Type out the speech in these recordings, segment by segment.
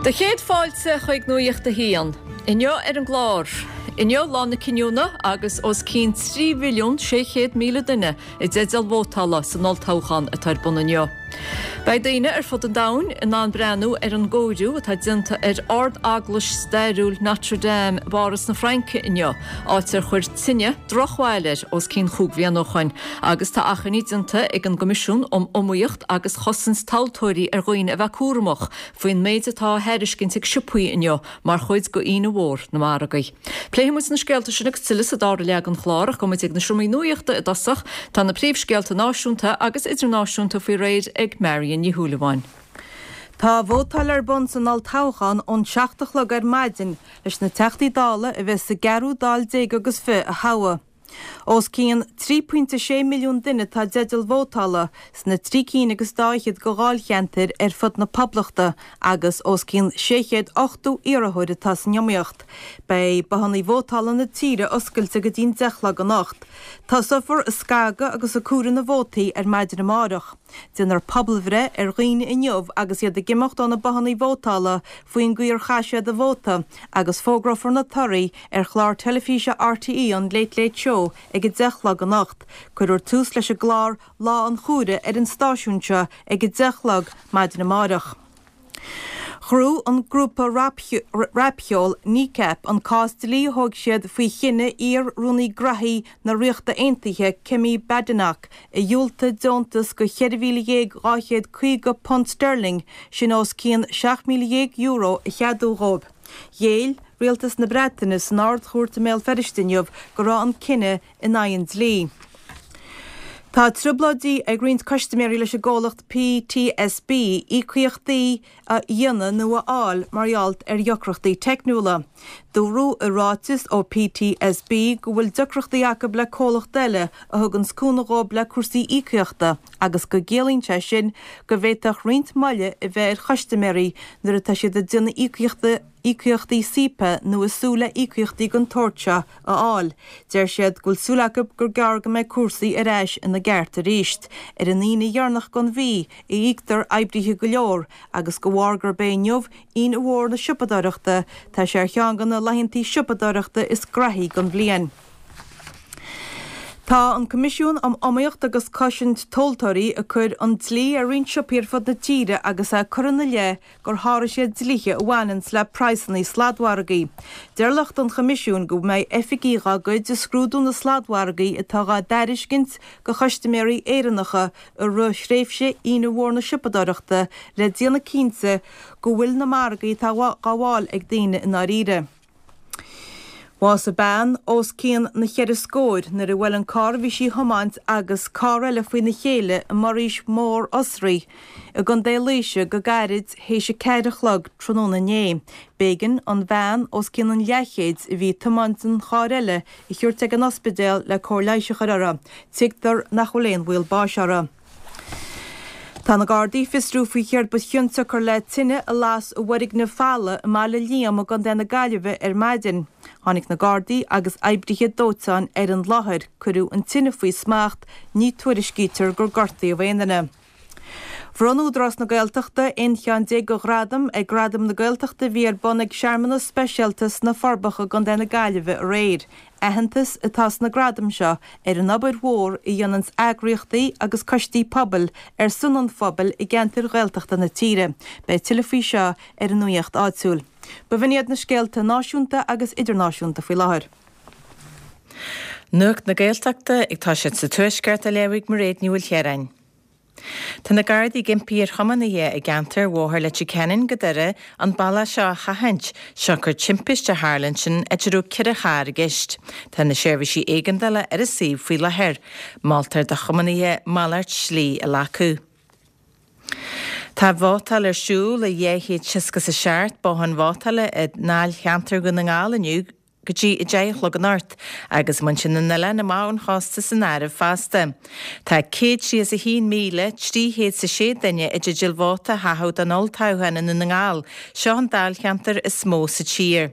Do chéad fáilte chuig Nuacht a hAon. Inniu ar an gclár. Inniu lá na cinniúna agus os cionn 3,600,000 duine i dteideal vótála san olltoghchán atá ar bun inniu. Beidh daoine ar fud an domhain in ann breathnú ar an gcóiriú atá déanta ar ard-eaglais stairiúil Notre Dame i bPáras na Fraince inniu, áit ar chuir tine drochbhail air os cionn chúig bhliana ó shoin, agus tá achainí déanta ag an gCoimisiún um Iomaíocht agus Chosaint Tomhaltóirí ar dhaoine a bheith cúramach faoin méid atá á thairiscint ag siopaí inniu mar chuid de Aoine Mhór na Margaí. Pléifidh muid na scéalta sin agus tuilleadh sa dara leath den chlár ach gabhfaidh muid ag na seomraí nuachta i dtosach. Tá na príomhscéalta náisiúnta agus idirnáisiúnta faoi réir ag Marion Ní Shúilleabháin. Tá vótáil ar bun san olltoghchán ón 7 a chlog ar maidin leis na Teachtaí Dála a bheas sa gceathrú Dáil déag agus fi a thoghadh. Os cionn 3.6 milliún duine atá i dteideal vótála sna trí cinn agus dá fhichead de dháilcheantair ar fud na Poblachta agus os cionn 680 iarrthóir atá san iomaíocht. Beidh bothanna vótála na tíre oscailte go dtí'n 10 a chlog anocht. Tosófar ag scagadh agus ag comhaireamh na vótaí ar maidin amárach. Déanfar pobalbhreith ar dhaoine inniu agus iad ag imeacht ó na bothanna vótála faoin gcaoi ar chaith siad a vóta agus fógrófar na torthaí ar chlár teilifíse RTÉ an Late Late Show ag 10 a chlog anocht. Cuirfear tús leis an gclár Lá an Chomhairimh ar an stáisiún seo ag 10 a chlog maidin amárach. Ghnóthaigh an grúpa rapcheoil Kneecap an cás dlí a thóg siad faoi chinneadh iar-Rúnaí Graithí na Ríochta Aontaithe Kemi Badenoch a dhiúltaigh deontas de £14,250 sterling, sin os cionn €17,000, a cheadú dhóibh. Ghéill Rialtas na Breataine san Ard-Chúirt i mBéal Feirste inniu go raibh an cinneadh in aghaidh an dlí. Tá trioblóidí ag roinnt custaiméirí leis an gcomhlacht PTSB íocaíochtaí a dhéanamh nó a fháil mar gheall ar dheacrachtaí teicniúla. Dúradh i ráiteas ó PTSB go bhfuil deacrachtaí acu le comhlacht eile a thuganns cúnamh dhóibh le cúrsaí íocaíochta agus go gciallaíonn sé sin go bhféadfadh roinnt moille a bheith ar chustaiméirí nuair atá siad ag déanamh íocaíochtaí SEPA nó ag súil le íocaíochtaí den tsórt seo a fháil. Deir siad go bhfuil súil acu gur gearr go mbeidh cúrsaí ar ais ina gceart arís. Ar an Aoine dheireanach den mhí a íoctar oibrithe go leor agus de bharr gurb é inniu Aoine Mhór na Siopadóireachta, tá sé ar cheann de na laethanta siopadóireachta is graithí den bhliain. Tá an Coimisiún um Iomaíocht agus Cosaint Tomhaltóirí ag cur an dlí ar roinnt siopaí ar fud na tíre agus é ag cur ina leith gur sháraigh siad dlíthe a bhaineanns le praghsanna sladmhargaí. Deir lucht an Choimisiúin go mbeidh oifigigh dá gcuid ag scrúdú na sladmhargaí atá dhá dtairiscint do chustaiméirí Éireannacha i rith thréimhse Aoine Mhór na Siopadóireachta le déanamh cinnte go bhfuil na margaí atá dhá bhfáil ag daoine i ndáiríre. Bhásaigh bean os cionn na cheithre scóir nuair a bhuail an carr a bhí sí a thiomáint agus carr eile faoina chéile i mBuiríos Mór Osraí i gContae Laoise go gairid théis a ceathair a chlog tráthnóna inné. B'éigean an bhean os cionn an leathchéid a bhí ag tiomáint an chairr eile a thabhairt ag an ospidéal le cóir leighis a chur uirthi. Tuigtear nach bhfuil aon bhaol báis uirthi. Tá na Gardaí ag fiosrú faoi chéard ba chionsiocair le tine a las i bhfoirgneamh falla i mBaile Liam i gContae na Gaillimhe ar maidin. Tháinig na Gardaí agus oibrithe dóiteáin ar an láthair. Cuireadh an tine faoi smacht, ní tuairiscítear gur gortaíodh aon duine. Bhronn Údarás na Gaeltachta 11 cheann de ghradaim ag Gradaim na Gaeltachta a bhí ar bun ag searmanas speisialta sna Forbacha i gContae na Gaillimhe aréir. Aitheantas atá sna gradaim seo ar an obair mhór a dhéananns eagraíochtaí agus coistí pobail ar son an phobail i gceantair Ghaeltachta na tíre. Beidh tuilleadh faoi seo ar an Nuacht Áitiúil. B'in iad na scéalta náisiúnta agus idirnáisiúnta faoi láthair. Nuacht na Gaeltachta ag toiseacht sa Tuaisceart á léamh ag Mairéad Ní Mhaoilchiaráin. Tá na Gardaí ag impí ar thiománaithe i gceantar Bhóthar Leitir Ceanainn go Doire an bealach seo a sheachaint, siocair timpiste a tharla ansin áit a raibh 4 charr i gceist. Tá na seirbhísí éigeandála ar an suíomh faoi láthair. Moltar do thiománaithe malairt slí a ghlacadh. Tá vótáil ar siúl i 267 bothán vótála i ndáilcheantar Dhún na nGall inniu. Go dtí 10 a chlog anocht, agus muintir na n-oileán amach ón chósta san áireamh fosta. Tá 131,306 duine i dteideal vóta a chaitheamh don olltoghchán i nDún na nGall, seo an dáilcheantar is mó sa tír.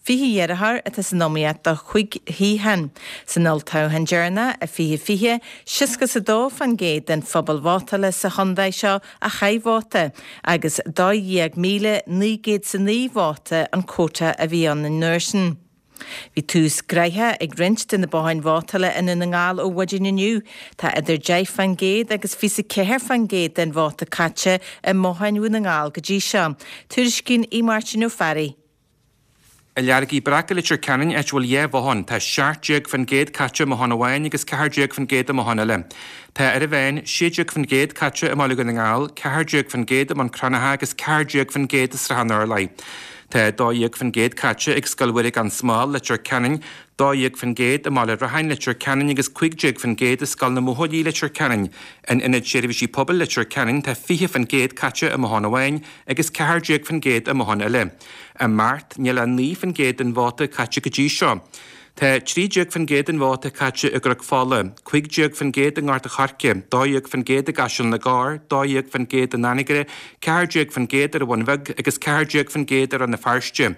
20 iarrthóir atá san iomaíocht do chúig shuíochán. San olltoghchán deireanach i 2020, 62% den phobal vótála sa chontae seo a chaith vóta, agus 12,909 vóta an quota a bhí ann an uair sin. Bhí tús gnoitheach ag roinnt de na botháin vótála i nDún na nGall ó mhaidin inniu. Tá idir 10% agus 24% den vóta caite i mbotháin Dhún na nGall go dtí seo. Tuairiscíonn Aodh Máirtín Ó Fearraigh. I Leargaí Breaca Leitir Ceanainn, áit a bhfuil 2 bhothán, tá 17% caite i mbothán amháin agus 14% i mbothán eile. Tá ar an mheán 16% caite i mbaile Dhún na nGall, 14% i mBun Cranncha agus 14% i Srath an Urláir. Tá 12% caite ag Scoil Mhuire gan Smál, Leitir Ceanainn, 12% i mBaile Rathain, Leitir Ceanainn agus 15% i Scoil na mBuachaillí, Leitir Ceanainn. In Ionad Seirbhísí Pobail Leitir Ceanainn tá 20% caite i mbothán amháin agus 14% i mbothán eile. I mBeart, níl ach 9% den vóta caite go dtí seo. Tá 13% den vóta caite i gCnoc Fola, 15% i nGort a' Choirce, 12% i gCaiseal na gCorr, 12% in Anagaire, 14% ar an Bhun Bheag agus 14% ar Rann na Feirste.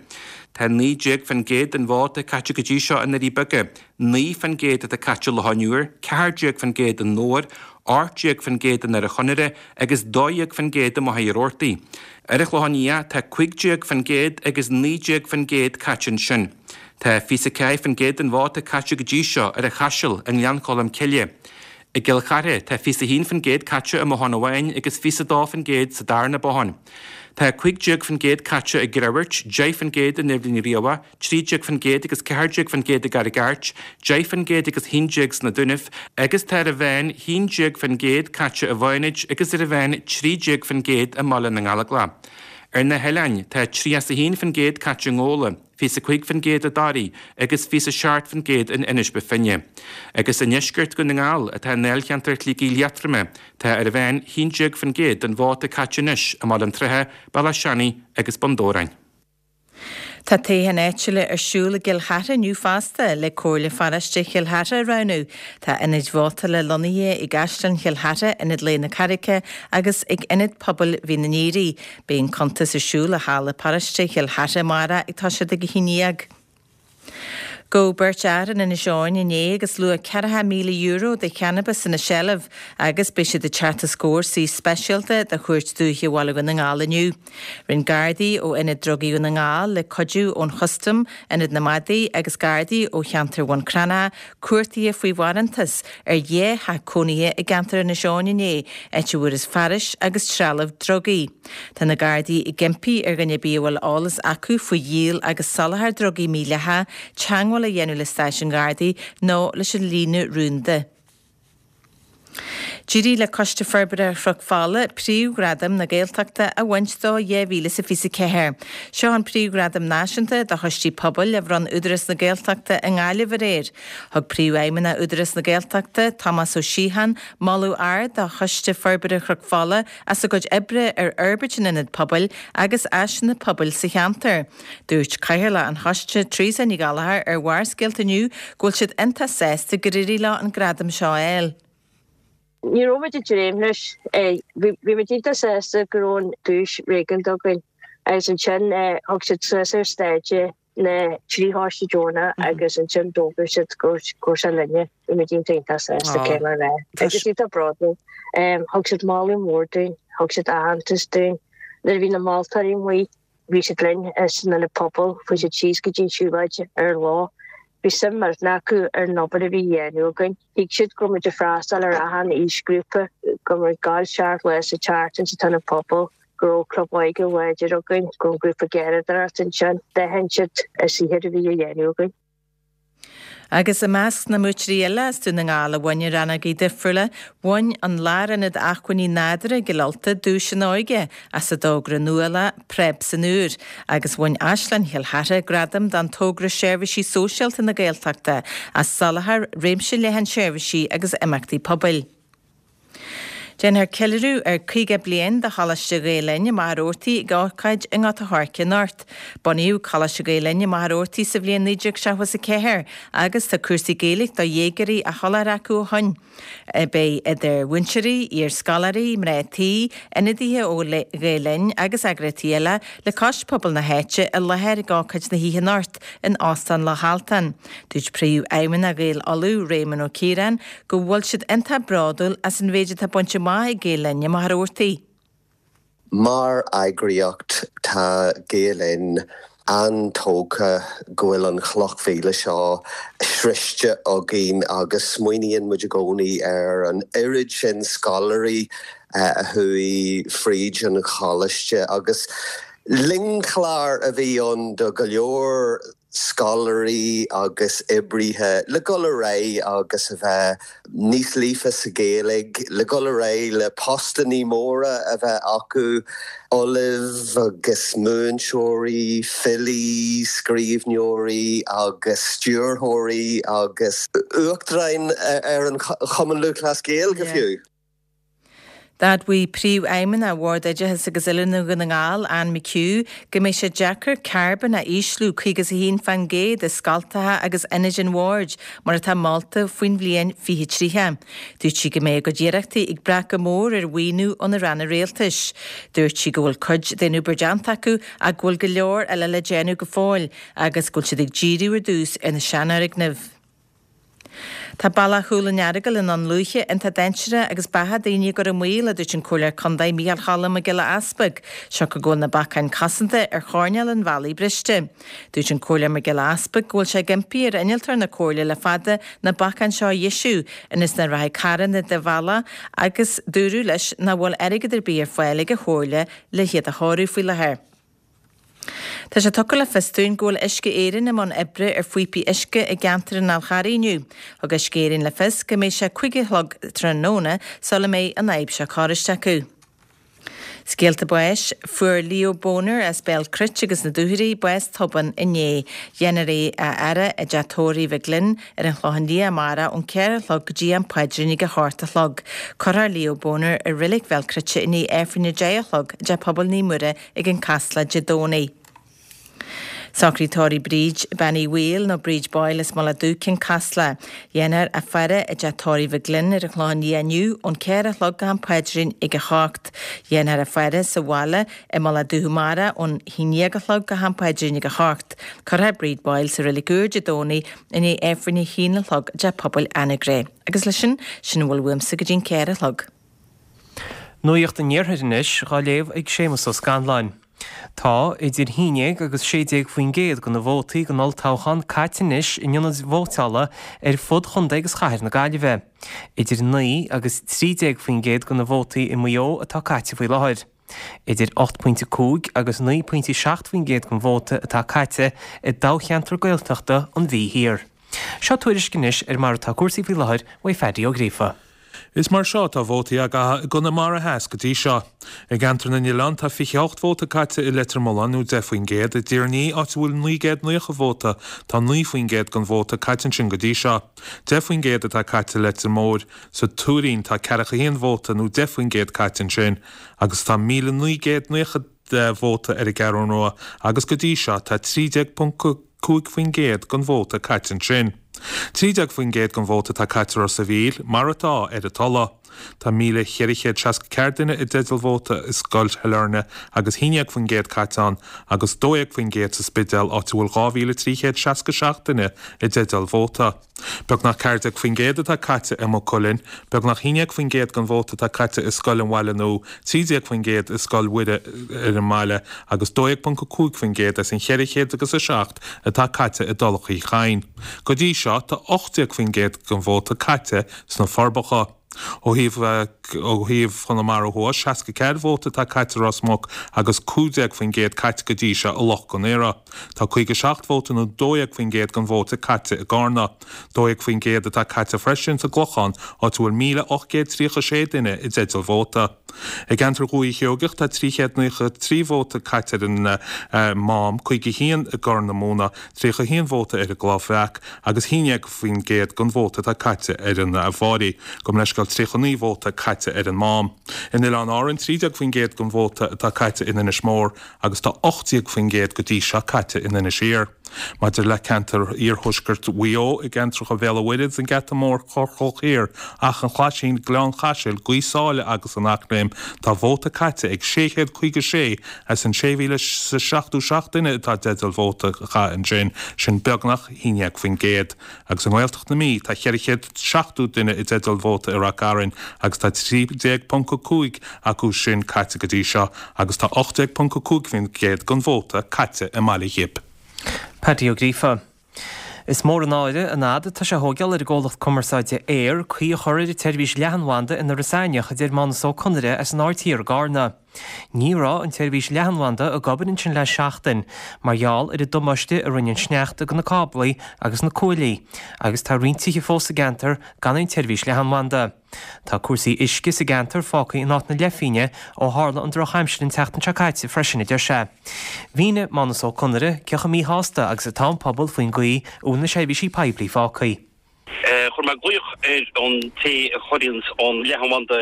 Tá 19% den vóta caite go dtí seo i nDoirí Beaga, 9% atá caite i Loch an Iúir, 14% i nDobhar, 18% i nDoire Chonaire agus 12% i Machaire Rabhartaigh. Ar an Chlochán Liath tá 15% agus 19% caite ansin. Tá 24% den vóta caite go dtí seo ar an Chaiseal i nGleann Cholm Cille. I gCill Chartha tá 21% caite i mbothán amháin agus 22% sa darna bothán. Tá 15% caite i gCreamhairt, 10% in Eibhlín Riabhach, 13% agus 14% i gCarraig Airt, 10% agus 11 sna Dúnaibh, agus tá ar an mheán 11% caite i bhFánaid agus ar an mheán 13% i mBaile na nGallóglach. Ar na hoileáin, tá 31% caite i nGabhla, 25% i dToraigh agus 27% in Inis Bó Finne. Agus i ndeisceart Dhún na nGall, atá i ndáilcheantar Shligigh Liatroma, tá ar an mheán 11% den vóta caite anois i mBaile an tSratha, Bealach Seanaidh agus Bun Dobhráin. Tá toghcháin áitiúla ar siúl i gCill Chartha inniu fosta, le Comhairle Pharóiste Chill Chartha a roghnú. Tá ionaid vótála lonnaithe i gCaisleán Chill Chartha, Ionad Lae na Carraice agus ag Ionad Pobail Mhín an Aoire. Beidh an cuntas ar siúl i Halla Paróiste Chill Chartha amárach ag toiseacht ag 11. Gabhadh beirt fhear in Inis Eoghain inné agus luach €40,000 de channabas ina seilbh agus beidh siad ag teacht os comhair suí speisialta de Chúirt Dúiche Bhaile Dhún na nGall inniu. Rinne Gardaí ó Ionad Drugaí Dhún na nGall, le cuidiú ón Chustam, Ionad na Madaí agus Gardaí ó cheantar Bhun Cranncha, cuartuithe faoi bharántas ar dhá theach cónaithe i gceantar Inis Eoghain inné, áit a bhfuarthas fearais agus trealamh drugaí. Tá na Gardaí ag impí ar dhuine ar bith a bhfuil eolas acu faoi dhíol agus soláthar drugaí mídhleathacha teagmháil a dhéanamh le stáisiún Ghardaí nó leis an líne rúnda. D'éirigh le Coiste Forbartha Chnoc Fola príomhghradam na Gaeltachta a bhaint do 2024. Seo an príomhghradam náisiúnta do choistí pobail a bhronn Údarás na Gaeltachta i nGaillimh aréir. Thug Príomhfheidhmeannach Údarás na Gaeltachta, Tomás Ó Síocháin, moladh ard do Choiste Forbartha Chnoc Fola as a gcuid oibre ar fhorbairt an ionaid pobail agus áiseanna pobail sa cheantar. Dúirt Cathaoirleach an Choiste, Teresa Ní Ghallchóir ar Bharrscéalta inniu go bhfuil siad iontach sásta gur éirigh leo an gradam seo a fháil. Ní raibh muid ag dréim leis. Bhí muid iontach sásta go raibh an duais réaganta againn agus ansin thug siad suas ar stáitse na trí choiste deonach agus ansin d'fhógair siad go raibh sé linne. Bhí muid iontach iontach sásta cé mar bheith. Agus iontach bródúil. Thug siad moladh mór dúinn, thug siad aitheantas dúinn. Nuair a bhí na moltóirí amuigh, bhí siad linn san ionad pobail, chuaigh siad síos go dtí an siúlóid ar an lá. Bhí suim millteanach acu ar an obair a bhí á dhéanamh againn. Thuig siad go raibh muid ag freastal ar achan aoisghrúpa, go raibh muid ag gabháil seacht lá sa tseachtain sa t-ionad pobail, go raibh club óige láidir againn, go raibh grúpa gearradóireachta ansin. D'aithin siad an saothar a bhí á dhéanamh againn. Agus i measc na mbuaiteoirí eile as Dún na nGall a bhain i rannógaí difriúla, bhain an Lárionad Acmhainní Nádúrtha i gCill Ulta duais an óige as a dtogra nuálach Preab san Iúr, agus bhain Áislann Chill Chartha gradam don togra Seirbhísí Sóisialta na Gaeltachta as soláthar réimse leathan seirbhísí agus imeachtaí pobail. Déanfar ceiliúradh ar 50 bliain de Choláiste Ghael Linn i Machaire Rabhartaigh ag ócáid i nGort a' Choirce anocht. Bunaíodh Coláiste Gael Linn i Machaire Rabhartaigh sa bhliain 1974 agus tá cúrsaí Gaeilge do dhéagóirí á sholáthar acu ó shoin. Beidh idir mhúinteoirí, iar-scoláirí, mná tí, ionadaithe ó Ghael Linn agus eagraíochtaí eile le cois pobal na háite i láthair ag ócáid na hoíche anocht in Óstán Loch Altan. Dúirt Príomhfheidhmeannach Ghaeil Uladh, Réamonn Ó Ciaráin, go bhfuil siad iontach bródúil as an mhéid atá bainte amach ag Gael Linn i Machaire Rabhartaigh. Mar eagraíocht, tá Gael Linn an-tógtha go bhfuil an chloch mhíle seo sroichte againn agus smaoiníonn muid i gcónaí ar an oiread sin scoláirí a chuaigh fríd an choláiste agus lingchlár a bhí ann do go leor scoláirí agus oibrithe le dhul ar aghaidh agus a bheith níos líofa sa Ghaeilge, le dhul ar aghaidh le postannaí móra a bheith acu, ollaimh agus múinteoirí, filí, scríbhneoirí agus stiúrthóirí agus uachtaráin ar an Chumann Lúthchleas Gael go fiú. D'admhaigh Príomhfheidhmeannach Bhord Oideachais agus Oiliúna Dhún na nGall, Anne McHugh, go mbeidh sé deacair carbón a ísliú 51% i scoltacha agus ionaid an Bhoird, mar atá molta, faoin bhliain 2030. Dúirt sí go mbeidh a gcuid iarrachtaí ag brath go mór ar mhaoiniú ó na ranna rialtais. Dúirt sí go bhfuil cuid den obair déanta acu ach go bhfuil go leor eile le déanamh go fóill agus go bhfuil siad ag díriú ar dtús ar na seanfhoirgnimh. Tá bealach Chúil an Earagail i nDún Lúiche iontach dainséarach agus beatha daoine á gcur i mbaol, a dúirt an Comhairleoir Contae Micheál Cholm Mac Giolla Easpaig, siocair go bhfuil na bacáin cosanta ar choirnéal an bhealaigh briste. Dúirt an Comhairleoir Mac Giolla Easpaig go bhfuil sé ag impí ar innealtóir na Comhairle le fada na bacáin seo a dheisiú ionas nach rachaidh carranna de bhealach agus dúradh leis nach bhfuil airgead ar bith ar fáil ag an Chomhairle le hiad a chóiriú faoi láthair. Tá sé tugtha le fios dúinn go bhfuil Uisce Éireann i mbun oibre ar phíopaí uisce i gceantar an Fhál Charraigh inniu. Thug Uisce Éireann le fios go mbeidh sé 5 a chlog tráthnóna sula mbeidh an fhadhb seo cóiriste acu. Scéalta báis, Fuair Leo Boner as Béal Cruit agus na Dúchoraidh bás tobann inné. Dhéanfar é a fhaire i dteach tórraimh Mhig Fhloinn ar an Chlochán Liath amárach ón 4 a chlog go dtí am paidrín ag a hocht a chlog. Cuirfear Leo Boner i Reilig Bhéal Cruite i ndiaidh Aifreann a 10 a chlog i dTeach Pobail Naomh Muire ag an Casla Dé Domhnaigh. Socraí tórraimh Bríd, Bean Uí Bhaoill nó Bríd Boyle as Mullach Dubh, Cionn Caslach. Dhéanfar a faire i dteach tórraimh Mhig Fhloinn ar an Chlochán Liath inniu ón 4 a chlog go ham paidrín ag a hocht. Dhéanfar a faire sa bhaile i Mullach Dubh amárach ón haon déag a chlog go ham paidrín ag a hocht. Cuirfear Bríd Boyle sa Reilig Úr Dé Domhnaigh i ndiaidh Aifreann a haon a chlog i dTeach Pobail Anagaire. Agus leis sin, sin a bhfuil uaimse go dtí an 4 a chlog. Nuacht an Iarthair anois, dhá léamh ag Séamus Ó Scanláin. Tá idir 11 agus 16% de na vótaí don olltoghchán caite anois in ionaid vótála ar fud chontae agus chathair na Gaillimhe. Idir 9 agus 13% de na vótaí i Maigh Eo atá caite faoi láthair. Idir 8.5 agus 9.7% den vóta atá caite i dtoghcheantar Gaeltachta an Mhí Thiar. Seo tuairisc anois ar mar atá cúrsaí faoi láthair uaidh Phaddy Ó Gríofa. Is mar seo atá vótaí á gcaitheamh i gConamara Theas go dtí seo. I gceantar na nOileán tá 28 vóta caite i Leitir Mealláin nó 10%, i dTír an Fhia, áit a bhfuil 990 vóta, tá 9% den vóta caite ansin go dtí seo. 10% atá caite i Leitir Móir. Sa Tuairín tá 41 vóta nó 10% caite ansin agus tá 1,990 vóta ar an gCeathrú Rua agus go dtí seo tá 13. 5% den vóta caite ansin. 13% den vóta atá caite i Ros a' Mhíl, mar atá, ar an Tulaigh. Tá 1,464 duine i dteideal vóta i Scoil Shailearna agus 11% caite ann agus 12% sa Spidéal áit a bhfuil 2,367 duine i dteideal vóta. Beagnach 14% atá caite i Maigh Cuilinn, beagnach 11% den vóta atá caite i Scoil an Bhaile Nua, 13% i Scoil Mhuire ar an mBaile agus 12.5% as an 400 agus 7 atá caite i dTulach Uí Chadhain. Go dtí seo, tá 18% den vóta caite sna Forbacha. Ó thaobh ó thaobh Chonamara Thuaidh, 64 vóta atá caite i Ros Muc agus 15% caite go dtí seo i Loch Con Aortha. Tá 57 vóta nó 12% den vóta caite i gCarna. 12% atá caite freisin sa gClochán, áit a bhfuil 1,836 duine i dteideal vóta. I gceantar Dhúiche Sheoigeach tá 393 vóta caite ar an Mám, 51 i gCorr na Móna, 31 vóta ar an gCloich Bhreac agus 11% den vóta atá caite ar an bhFairche. Gabh mo leithscéal. Leithscéal, 39 vóta caite ar an Mám. In Oileáin Árann, 13% den vóta atá caite in Inis Mór agus tá 18% go dtí seo caite in Inis Oírr. Maidir le ceantar iarthuaisceart Mhaigh Eo, i gceantracha Bhéal an Mhuirthead, an Geata Mór, Corr Chloich Thiar, Achadh an Chlaisín, Gleann Chaisil, Gaoth Sáile agus an Eachléim, tá vóta caite ag 656 as an 6,077 duine atá i dteideal vóta a chaitheamh ansin, sin beagnach 11%. Agus i nGaeltacht na Mí, tá 470 duine i dteideal vóta i Rath Cairn agus tá 13.5 acu sin caite go dtí seo agus tá 18.5% den vóta caite i mBaile Ghib. Paddy Ó Gríofa. Is mór an náire an fhad atá sé a thóigeáil ar an gcomhlacht cumarsáide Eir caoi a chur ar an tseirbhís leathanbhanda in Iorras Aithneach, a deir Mánus Ó Conaire as an Aird Thiar i gCarna. Ní raibh an tseirbhís leathanbhanda ag obair ansin le seachtain mar gheall ar an damáiste a rinne an sneachta do na cáblaí agus na cuaillí agus tá roinnt tithe fós sa gceantar gan aon tseirbhís leathanbhanda. Tá cúrsaí uisce sa gceantar fágtha in áit na leithphingne ó tharla an drochaimsir an tseachtain seo caite freisin, a deir sé. Mhínigh Mánus Ó Conaire cé chomh míshásta agus atá an pobal faoin gcaoi a bhfuil na seirbhísí poiblí fágtha. Chuir mé glaoch ar an té a chuireanns an leathanbhanda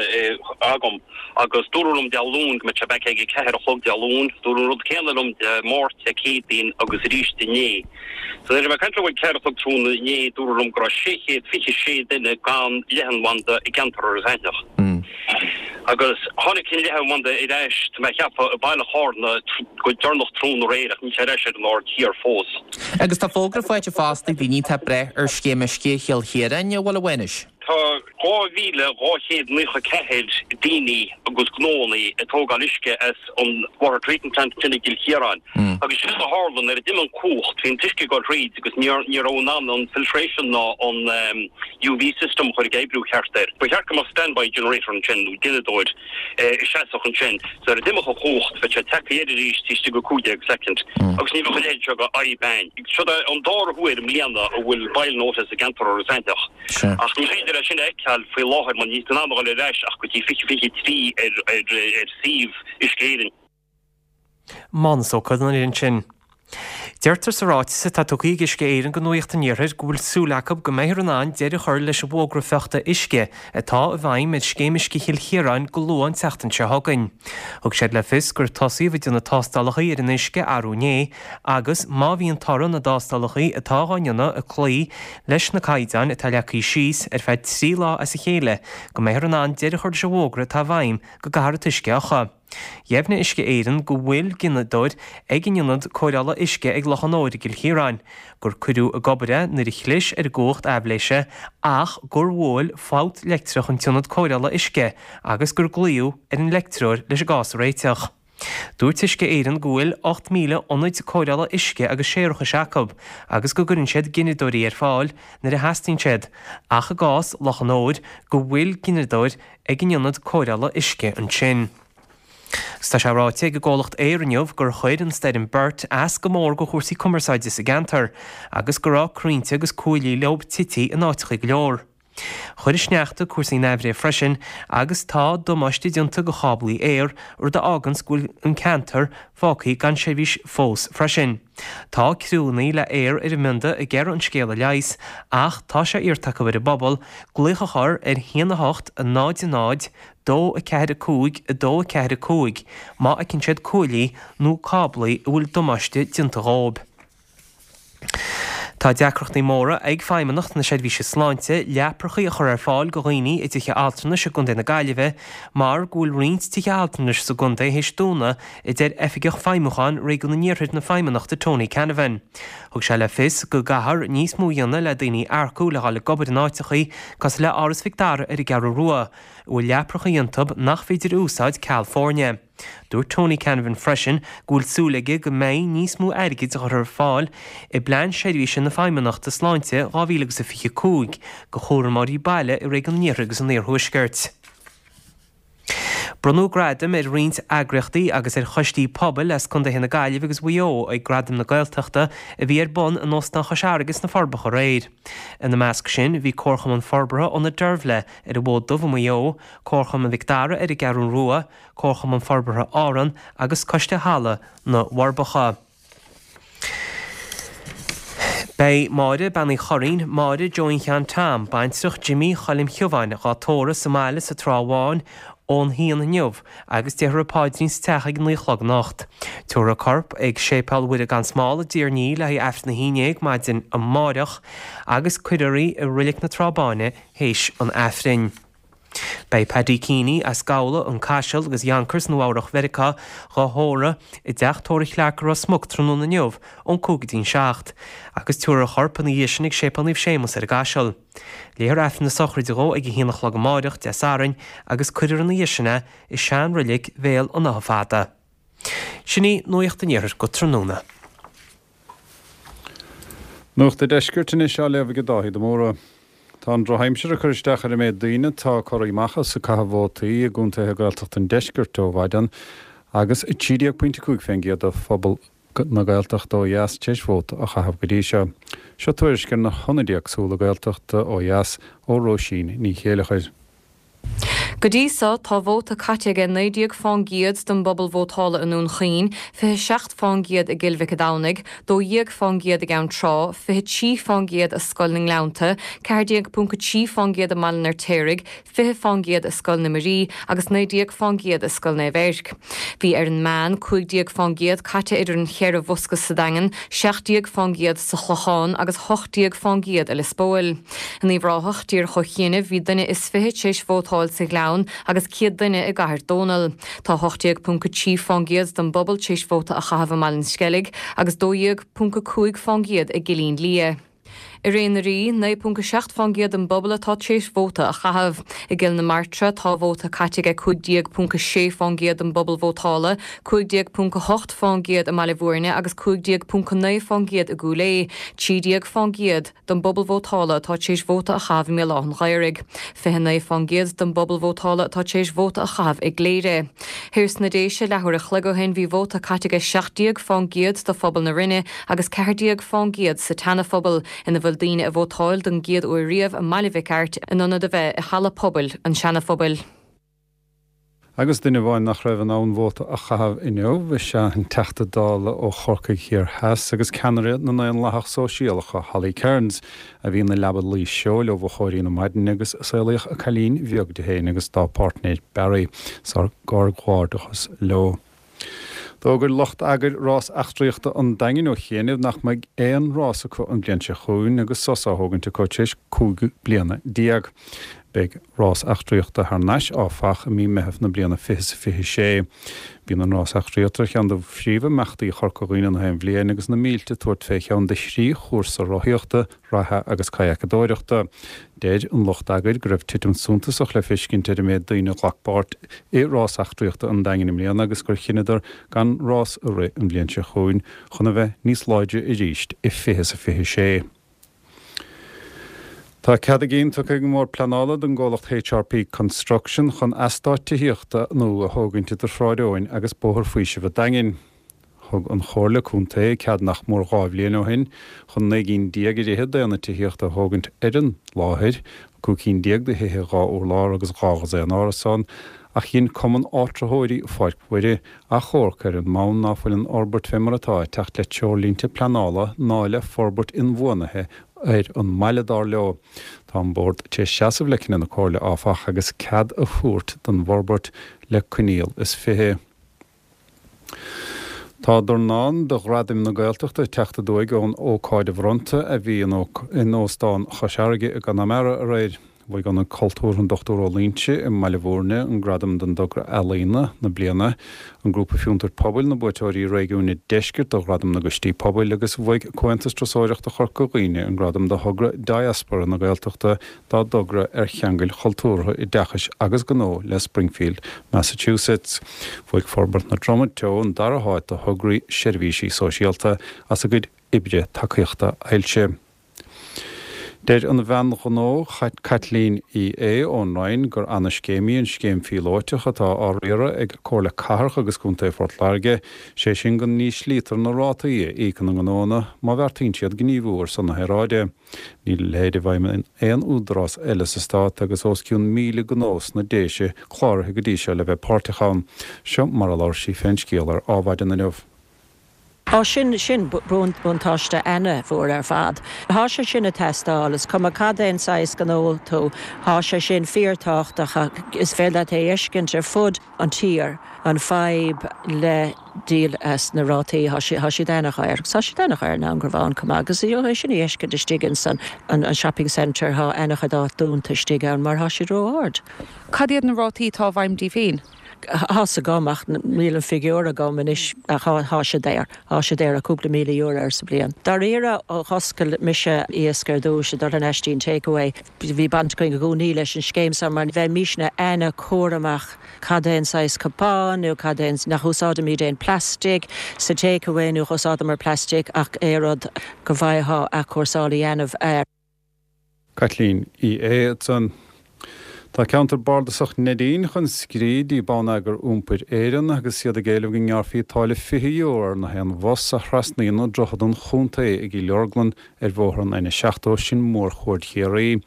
agam agus dúradh liom Dé Luain go mbeadh sé back ag a ceathair a chlog Dé Luain. Dúradh an rud céanna liom Dé Máirt, Dé Céadaoin agus arís inné. So nuair a bhí mé ag caint leo ag ceathair a chlog tráthnóna inné, dúradh liom go raibh 626 duine gan leathanbhanda i gceantar Iorras Aithneach. Agus tháinig an leathanbhanda ar ais, tá mé a cheapadh, i baile Chárna go deireanach tráthnóna aréir ach níl sé ar ais ar an Aird Thiar fós. Agus tá fógra faighte fosta ag daoine atá ag brath ar scéim uisce Chill Chiaráin, an bhfuil a Mhánais? Tá 2,294 daoine agus gnóanna ag tógáil uisce as an water treatment plant ansin i gCill Chiaráin agus séard a tharla nuair a d'imigh an cumhacht bhí an t-uisce ag dul thríd agus ní raibh in ann an filtration ná an UV system a chur ag oibriú ceart air. Ba cheart go mbeadh standby generator ansin nó gineadóir a sheasfadh ansin so nuair a d'imeodh an chumhacht bheadh sé tagtha air arís taobh istigh de 15 soicind agus ní bheadh a leithéid seo de fhadhb ann. Seo an dara huair i mbliana a bhfuil boil notice i gceantar Iorras Aithneach. Ach ní féidir é sin a fheiceáil faoi láthair mar níl tú in ann a dhul ar ais ach go dtí 2023 ar suíomh Uisce Éireann. Mánus Ó Conaire ansin. Deirtear sa ráiteas atá tugtha ag Uisce Éireann do Nuacht an Iarthair go bhfuil súil acu go mbeifear in ann deireadh a chur leis an bhfógra fiuchta uisce atá i bhfeidhm ar Scéim Uisce Chill Chiaráin go luath an tseachtain seo chugainn. Thug siad le fios gur tosaíodh ag déanamh tástálacha ar an uisce arú inné agus má bhíonn toradh na dtástálacha atá á ndéanamh ag cloí leis na caighdeáin atá leagtha síos ar feadh 3 lá as a chéile go mbeifear in ann deireadh a chur leis an bhfógra atá i bhfeidhm go gcaithfear an t-uisce a fhiuchadh. Dheimhnigh Uisce Éireann go bhfuil gineadóir ag an ionad cóireála uisce ag Loch an Óir i gCill Chiaráin, gur cuireadh ag obair é nuair a chlis ar an gcumhacht aibhléise ach gur bhuail fabht leictreach an t-ionad cóireála uisce agus gur glaodh ar an leictreoir leis an gcás a réiteach. Dúirt Uisce Éireann go bhfuil 8,000 ionaid cóireála uisce agus séarachais acu agus go gcuireann siad gineadóirí ar fáil nuair a theastaíonn siad, ach i gcás Loch an Óir go bhfuil gineadóir ag an ionad cóireála uisce ansin. Agus tá sé ráite ag an gcomhlacht Eir inniu gur chuir an stoirm Bert as go mór go chúrsaí cumarsáide sa gceantar agus go raibh crainnte agus cuaillí leo tití in áiteacha go leor. Chuir an sneachta cúrsaí in aimhréidh freisin agus tá damáiste déanta go cháblaí Eir, rud a fháganns go bhfuil an ceantar fágtha gan seirbhís fós freisin. Tá criúnna le Eir ar an mbionda ag iarraidh an scéal a leigheas ach tá sé iarrta acu ar an bpobal glaoch a chur ar 1 8 0 0 2 4 5 2 4 5 má fheiceann siad cuaillí nó cáblaí a bhfuil damáiste déanta dhóibh. Tá deacrachtaí móra ag Feidhmeannacht na Seirbhíse Sláinte leaprachaí a chur ar fáil go dhaoine i dtithe altranais i gContae na Gaillimhe mar go bhfuil roinnt tithe altranais sa gcontae théis dúnadh, a deir Oifigeach Feidhmiúcháin Réigiún an Iarthair na Feidhmeannachta Tony Canavan. Thug sé le fios go gcaithfear níos mó a dhéanamh le daoine a earcú le dhul ag obair in áiteachaí cosúil le Áras Mhic Dara ar an gCeathrú Rua, a bhfuil leaprachaí iontu nach féidir a úsáid ceal foirne. Dúirt Tony Canavan freisin go bhfuil súil aige go mbeidh níos mó airgid a chur ar fáil i bPlean Seirbhíse na Feidhmeannachta Sláinte 2025 go chúramóirí baile i Réigiún an Iarthair agus an Iarthuaiscirt. Bronnadh gradaim ar roinnt eagraíochtaí agus ar choistí pobail as contaetha na Gaillimhe agus Mhaigh Eo ag Gradaim na Gaeltachta a bhí ar bun in Óstán Chois Fharraige sna Forbacha aréir. Ina measc sin bhí Comharchumann Forbartha Ionad Deirbhle ar an bhFód Dubh i Maigh Eo, Comharchumann Mhic Dara ar an gCeathrú Rua, Comharchumann Forbartha Árann agus Coiste Halla na bhForbacha. Beidh Máire, Bean Uí Churraoin, Máire Joeín Sheáin Tom, baintreach Jimí Choilm Shiubháin, dhá tórramh sa mbaile sa Trá Bháin ón haon inniu agus déarfar an paidrín sa teach ag a naoi a chlog anocht. Tabharfar a corp ag Séipéal Mhuire gan Smál i dTír an Fhia le haghaidh Aifreann a haon dhéag maidin amáireach agus cuirfear í i Roilic na Trá Báine théis an Aifrinn. Beidh Paddy Keaney as Gabhla, An Caiseal agus Yonkers, Nua Eabhrach Mheiriceá, dhá thórramh i dteach tórraimh Chlarke i Ros Muc tráthnóna inniu ón 5 go dtí'n 7, agus tabharfar a chorp ina dhiaidh sin ag Séipéal Naomh Séamus ar an gCaiseal. Léifear Aifreann na sochraide dhó ag a haon a chlog amáireach, Dé Sathairn, agus cuirfear ina dhiaidh sin é i sean-roilig Bhéal an Átha Fada. Sin í Nuacht an Iarthair go tráthnóna. Nuacht an Deiscirt anois á léamh ag Dáithí de Mórdha. Tá an drochaimsir ag cur isteach ar an méid daoine atá ag cur amach is ag caitheamh vótaí i gcontaetha Gaeltachta an Deiscirt ó mhaidin agus 13.5% de phobal na Gaeltachta ó dheas tar éis vóta a chaitheamh go dtí seo. Seo tuairisc ar na hionaid éagsúla Gaeltachta ó dheas ó Róisín Ní Chéileachair. Go dtí so, tá vóta caite ag 19 fán gcéad den bpobal vótála i nDún Chaoin, 27 fán gcéad i gCill Mhic a' Domhnaigh, 12 fán gcéad i gCeann Trá, 23 fán gcéad i Scoil na nGleannta, 14.3 fán gcéad i mBaile an Fheirtéaraigh, 20 fán gcéad i Scoil na Muirí agus 19 fán gcéad i Scoil Naomh Eirc. Bhí ar an meán 15 fán gcéad caite idir an cheithre bhosca sa Daingean, 17 fán gcéad sa Chlochán agus 18 fán gcéad i Lios Póil. In Uíbh Ráthach, díreach ó chianaibh, bhí duine is fiche tar éis vótáil sa Ghleann agus 100 duine i gCathair Dónall. Tá 18.3 fán gcéad den bpobal tar éis vóta a chaitheamh i mBaile an Sceilg agus 12.5 fán gcéad i gCillín Liath. I Ré na Rí, 9.7 fán gcéad den bpobal atá tar éis vóta a chaitheamh. I gCill na Martra, tá vóta caite ag 15.6 fán gcéad den bpobal vótála, 15.8 fán gcéad i mBaile Bhúirne agus 15.9 fán gcéad i gCúil Aodha, 13 fán gcéad. den bpobal vótála atá tar éis vóta a chaitheamh i mBéal Átha an Ghaorthaidh. 29 fán gcéad den bpobal vótála atá tar éis vóta a chaitheamh i gCléire. Thiar sna Déise, leathuair a chloig ó shin, bhí vóta caite ag 17 fán gcéad de phobal na Rinne agus 14 fán gcéad sa tSeana-Phobal, ina bhfuil daoine ag vótáil don gcéad uair riamh i mBaile Mhic Airt in ionad a bheith i Halla Pobail an tSeana-Phobail. Agus duine amháin nach raibh in ann vóta a chaitheamh inniu is ea an Teachta Dála ó Chorcaigh Thiar Theas agus ceannaire na nDaonlathach Sóisialach, Holly Cairns, a bhí ina leaba luí seoil ó mhoch na maidine agus saolaíodh a cailín bheag di féin agus dá páirtnéir Barry. Ár gcomhghairdeachas leo. D'fhógair lucht eagair Rás Eachtraíochta an Daingin ó chianaibh nach mbeidh aon rás acu an bhliain seo chugainn agus sos á thógaint acu tar éis 15 bliana. Beidh rás eachtraíochta thar n-ais, áfach, i mí Meitheamh na bliana 2026. Bíonn an rás eachtraíochta ar cheann de phríomhimeachtaí Chorca Dhuibhne na haon bhliain agus na mílte ag tabhairt fé cheann de thrí chúrsa rothaíochta, reatha agus cadhacadóireachta. Deir an lucht eagair go raibh titim suntasach le feiscint ar an méid daoine a ghlac páirt i Rás Eachtraíochta an Daingin i mbliana agus gur chinneadar gan rás a rith an bhliain seo chugainn chun a bheith níos láidre arís i 2026. Tá cead a gcinn tugtha ag an mBord Pleanála don gcomhlacht HRP Construction chun eastát tithíochta nua a thógaint idir Shráid Eoin agus Bóthar Faoisimh an Daingin. Thug an Chomhairle Contae cead nach mór 2 bhliain ó shin chun 19 gcinn ar fhichead d'aonaid tithíochta a thógaint ar an láthair, 15 cinn de thithe 2 urlár agus 2 dhosaen árasán, ach dhein Cumann Áitritheoirí Pháirc Mhuire achomharc ar an mbonn ná fuil an fhorbairt fé mar atá ag teacht le treoirlínte pleanála ná le forbairt inbhuanaithe ar an mbaile, dar leo. Tá an Bord tar éis seasamh le cinneadh na Comhairle, áfach, agus cead a thabhairt don bhforbairt le coinníoll is 20. Tá dornán de Ghradaim na Gaeltachta ag teacht aduaidh ón ócáid bhronnta a bhí in Óstán Chois Fharraige i gConamara aréir. Bhuaigh Ionad Cultúrtha an Dr Ó Loingsigh i mBaile Bhúirne an gradam don dtogra ealaíona na bliana, an Grúpa Fiontair Pobail na buaiteoirí réigiúin an Deiscirt do Ghradam na gCoistí Pobail agus bhuaigh Comhaontas Turasóireachta Chorca Dhuibhne an gradam do thogra Diaspora na Gaeltachta dá dtogra ar cheangail chultúrtha, oideachais agus gnó le Springfield, Massachusetts. Bhuaigh Forbairt na Droma Teo an dara háit do thograí seirbhísí sóisialta as a gcuid oibre tacaíochta ailse. Deir an bhean ghnó Caitlín Uí Aodha ón Rinn gur ana-scéim í an scéim phíolóiteach atá á riaradh ag Comhairle Cathrach agus Contae Phort Láirge, sé sin go n-íslítear na rátaí a íocann na gnóanna má bheartaíonn siad gníomhú ar son na haeráide. Níl a leithéid i bhfeidhm in aon údarás eile sa stát agus os cionn 1,000 gnó sna Déise cláraithe go dtí seo le bheith páirteach ann. Seo mar a labhair sí fén scéal ar Adhmhaidin inniu. Á sin, sin buntáiste ana-mhór ar fad. Thá sé sin ag teastáil, is cuma cad é an saghas gnó tú, thá sé sin fíor-tábhachtach, is féidir leat é a fheiscint ar fud an tír, an fadhb le díol as na rátaí, thá siad ana-dhaor, agus thá siad ana-dhaor in Ann Garbhán chomh maith, agus é sin a fheiscint istigh ins an shopping centre, thá ana-chuid áit dúnta istigh ann mar thá siad ró-ard. Cad iad na rátaí atá i bhfeidhm daoibh féin? Tá's agam ach níl an figiúr agam anois ach thá sé daor. Thá sé daor, cúpla €1,000 air sa bhliain. Dáiríre ó dh'oscail mise Iasc ar dtúis ag dul thar n-ais dtí'n takeaway bhí baint againn i gcónaí leis an scéim so mar bheimísne ana-chúramach cad é an saghas cupán nó cad é an, nach úsáidimíd aon plastic sa takeaway nó dh'úsáideamar plastic ach é rud go bhfaightheá athchúrsáil a dhéanamh air. Caitlín Uí Aodha ansan. Tá ceantar bardasach Neidín chun scríobh dtí Bonneagar Iompair Éireann agus iad ag éileamh go ngearrfaí táille €20 ar na haon bhus a thrasnaíonn Droichead an Chontae i gCill Orglan ar bhóthar an N70, sin mórchuaird Chiarraí.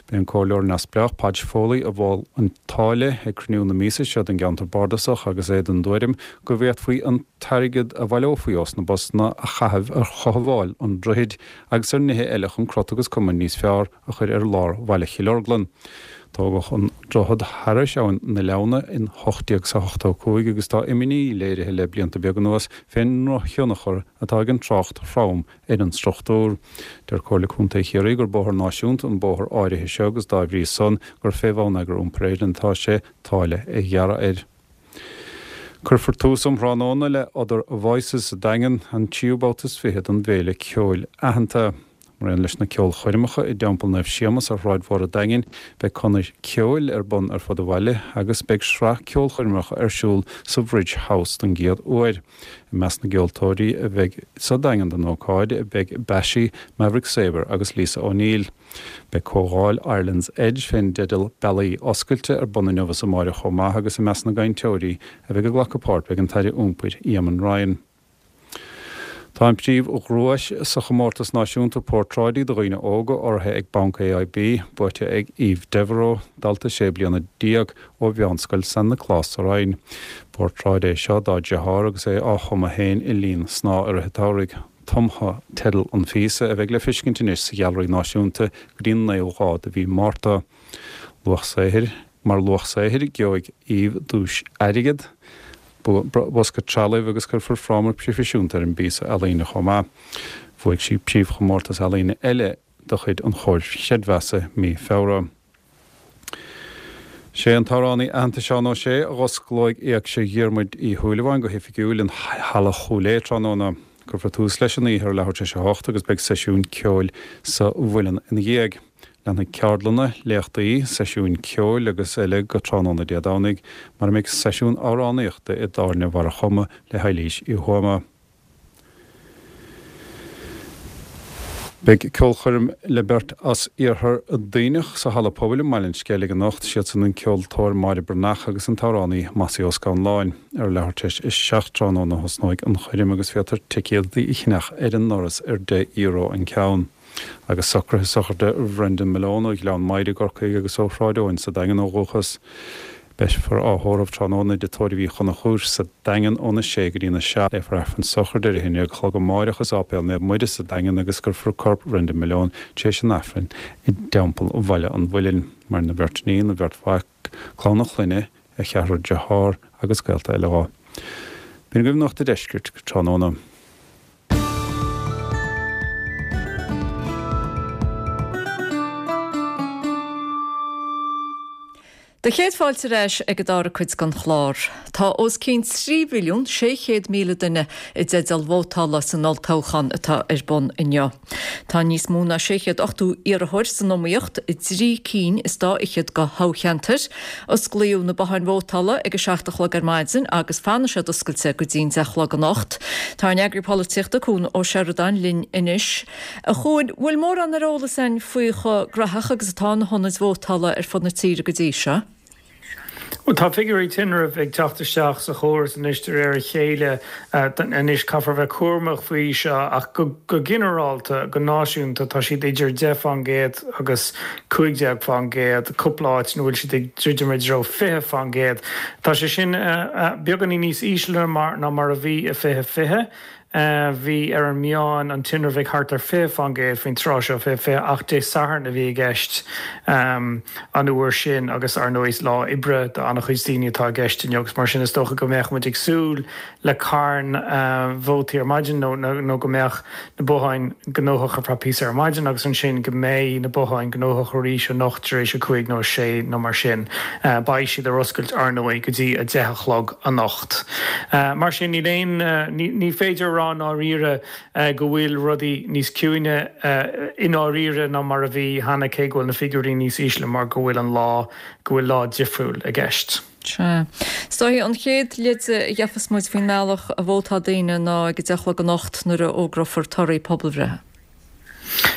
B'é an Comhairleoir Neamhspleách Podge Foley a mhol an táille ag cruinniú na míosa seo den gceantar bardasach agus é den dtuairim go bhféadfaí an t-airgead a bhaileofaí ós na busanna a chaitheamh ar chothabháil an droichid agus ar nithe eile chun crot agus cuma níos fearr a chur ar lár bhaile Chill Orglan. Tógadh an droichead thairis abhainn na Leamhna in 1885 agus tá imní léirithe le blianta beaga anuas fén ndrochthionchar atá ag an trácht throm ar an struchtúr. Deir Comhairle Contae Chiarraí gur bóthar náisiúnta an bóthar áirithe seo agus dá bhrí san gur fé Bhonneagar Iompair Éireann atá sé táille a ghearradh air. Cuirfear tús um thráthnóna le Other Voices sa Daingean, an tríú babhta is 20 den bhféile ceoil aitheanta. Mar aon leis na ceolchoirmeacha i dTeampall Naomh Séamas ar Shráid Mhór an Daingin, beidh conair ceoil ar bun ar fud an bhaile agus beidh sraith ceolchoirmeacha ar siúl sa Bhridge House don gcéad uair. I measc na gceoltóirí a bheidh sa Daingean don ócáid beidh Bashy, Maverick Sabre agus Lisa O'Neill. Beidh comhdháil Ireland's Edge fén dteideal 'Bealaí Oscailte' ar bun inniu is amáireach chomh maith agus i measc na gcainteoirí a bheidh ag glacadh páirt beidh an tAire Iompair Eamon Ryan. Tá an príomhdhuais sa chomórtas náisiúnta portráidí do dhaoine óga urraithe ag Banc AIB, buaite ag Eve Devereux, dalta 16 bliana ó Mheánscoil San Nioclás sa Rinn. Portráid é seo dá deartháir agus é á chumadh féin i lín snáth i rith an tsamhraidh. Tumtha teideal an phíosa, a bheidh le feiscint anois sa Ghealraí Náisiúnta go dtí an naoú lá de mhí Márta. Luach saothair Mar luach saothair, gheobhaidh Eve duais airgid, bosca trealaimh agus cuirfear fráma proifisiúnta ar an bpíosa ealaíne chomh maith. Bhuaigh sí príomhchomórtas ealaíne eile de chuid an Chomhair Chreidmheasa mí Feabhra. Sé an t-amhránaí aitheanta Seán Ó Sé a dh'osclóidh Éigse Dhiarmuid Uí Shúilleabháin go hoifigiúil in Halla Chúil Aodha tráthnóna. Cuirfear tús leis an oíche ar leathuair tar éis a hocht agus beidh seisiún ceoil sa Mhuileann ina dhiaidh. Leanfaidh ceardlanna, léachtaí, seisiúin ceoil agus eile go tráthnóna Dé Domhnaigh mar a mbeidh seisiún amhránaíochta i dTábhairne Bharra Choma le hEilís Uí Thuama. Beidh ceolchoirm le beirt as Iarthar Duibhneach sa Halla Pobail i mBaile an Sceilg anocht. Siadsan an ceoltóir Máire Breathnach agus an t-amhránaí Mossie Ó Scanláin. Ar leathuair tar éis a 7 tráthnóna a thosnóidh an choirm agus féadtar ticéadaí a cheannach ar an ndoras ar €10 an ceann. Agus socruithe sochraide Bhrendan Malone ó Ghleann Maghair i gCorcaigh agus ó Shráid Eoin sa Daingean ó dhúchas. Beifear á thórramh tráthnóna i dTigh Tórraimh Uí Chonchúir sa Daingean óna sé go dtína 7. Léifear Aifreann sochraide ar a haon a chlog amáireach i Sáipéal Naomh Muire sa Daingean agus cuirfear corp Bhrendan Malone tar éis an Aifrinn i dTeampall Bhaile an Mhuilinn. Maireann a bheirt iníon, a bheirt mhac, clann a chlainne, a cheathrar dearthár agus gaolta eile dhó. B'in agaibh Nuacht a' Deiscirt go tráthnóna. Do chéad fáilte ar ais ag an dara cuid den chlár. Tá os cionn 3,600,000 duine i dteideal vótála san olltoghchán atá ar bun inniu. Tá níos mó ná 680 iarrthóir san iomaíocht i dtrí cinn is dá fhichead de thoghcheantair. Osclaíodh na botháin vótála ag a 7 a chlog ar maidin agus fanfaidh siad oscailte go dtí'n 10 a chlog anocht. Tá ár n-eagraí polaitíochta, Cuan Ó Seireadáin linn anois. A Chuain, bhfuil mórán ar eolas againn faoi chomh graitheach agus atá na hionaid vótála ar fud na tíre go dtí seo? Bhuel, tá figiúirí tinrimh ag teacht isteach sa chóras anois de réir a chéile. Anois, caithfear bheith cúramach faoi seo ach go ginearálta, go náisiúnta, tá siad idir 10 fán gcéad agus 15 fán gcéad, cúpla áit ina bhfuil siad ag druidim i dtreo 20 fán gcéad. Tá sé sin beagáinín níos ísle ná mar a bhí i 2020. Bhí ar an meán an tinreamh ag thart ar 20% faoin tráth seo, 20, 20, ach Dé Sathairn a bhí i gceist an uair sin agus ar ndóigh is lá oibre do an-chuid daoine atá i gceist inniu agus mar sin is dócha go mbeadh muid ag súil le carn vótaí ar maidin nó nó go mbeadh na botháin gnóthach ar feadh píosa ar maidin agus ansin go mbeidh na botháin gnóthach arís anocht tar éis a 5 nó a 6 nó mar sin. Beidh siad ar oscailt ar ndóigh go dtí 10 a chlog anocht. Mar sin níl aon, ní féidir a rá i ndáiríre go bhfuil rudaí níos ciúine i ndáiríre ná mar a bhí cheana cé go bhfuil na figiúirí níos ísle mar go bhfuil an lá, go bhfuil lá difriúil i gceist. Sea. Is dóichí an chéad leid a gheofas muid faoin mbealach a vótáil daoine ná ag a 10 a chlog anocht nuair a fhógrófar torthaí pobalbhreithe.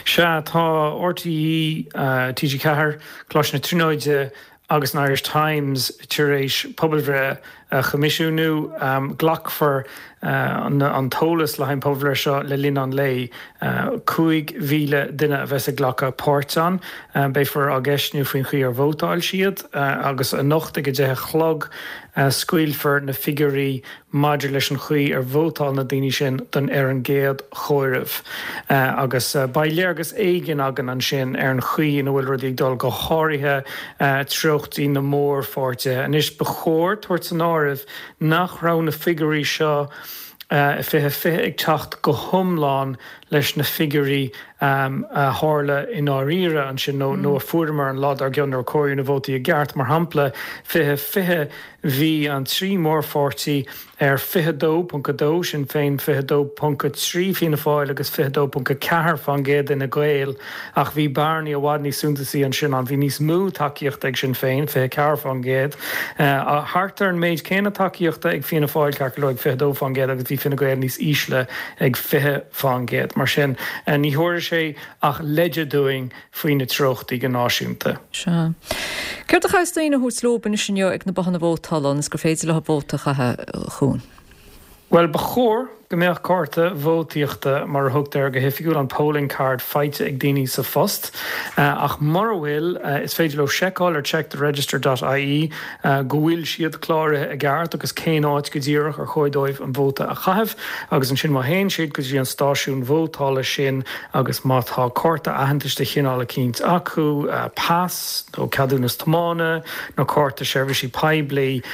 Sea, tá RTÉ, TG4, Coláiste na Tríonóide agus an Irish Times tar éis pobalbhreith a choimisiúnú. Glacfar an t-eolas le haghaidh an pobalbhreith seo le linn an lae. 5,000 duine a bheas ag glacadh páirt ann. Beifear á gceistniú faoin chaoi ar vótáil siad agus anocht ag a 10 a chlog scaoilfear na figiúirí maidir leis an chaoi ar vótáil na daoine sin don ar an gcéad chomhaireamh. Agus beidh léargas éigin againn ansin ar an chaoi ina bhfuil rudaí ag dul, go háirithe treochtaí na mórpháirtithe. Anois, ba chóir tabhairt san áireamh nach raibh na figiúirí seo i 2020 ag teacht go hiomlán leis na figiúirí a tharla i ndáiríre ansin nó nó a fuaireamar an lá dár gcionn nuair a comhaireadh na vótaí i gceart. Mar shampla, 2020, bhí an trí mórpháirtí ar 22.2, Sinn Féin, 22.3, Fianna Fáil, agus 22.4 fán gcéad d'Fhine Gael, ach bhí bearnaí i bhfad níos suntasaí ansin ann. Bhí níos mó tacaíochta ag Sinn Féin, 24 fán gcéad, thart ar an méid céanna tacaíochta ag Fianna Fáil, ceart go leor, ag 22 fán gcéad, agus bhí Fine Gael níos ísle ag 20 fán gcéad. Mar sin, ní thabharfaidh sé ach leide dúinn faoi na treochtaí go náisiúnta. Sea. Céard a chaithfeas daoine a thabhairt leob anois inniu ag na bothanna vótála ionas gur féidir leo vóta a chaitheamh, a Chuain? Bhuel, ba chóir go mbeadh cárta vótaíochta, mar a thugtar air go hoifigiúil, an polling card, faighte ag daoine sa phost. Ach mura bhfuil, is féidir leo seiceáil ar checktheregister dot ie go bhfuil siad cláraithe i gceart agus cén áit go díreach ar chóir dóibh an vóta a chaitheamh. Agus ansin má théann siad go dtí an stáisiún vótála sin agus má tá cárta aitheantais de chineál eicínt acu, pas nó ceadúnas tiomána nó cárta seirbhísí poiblí,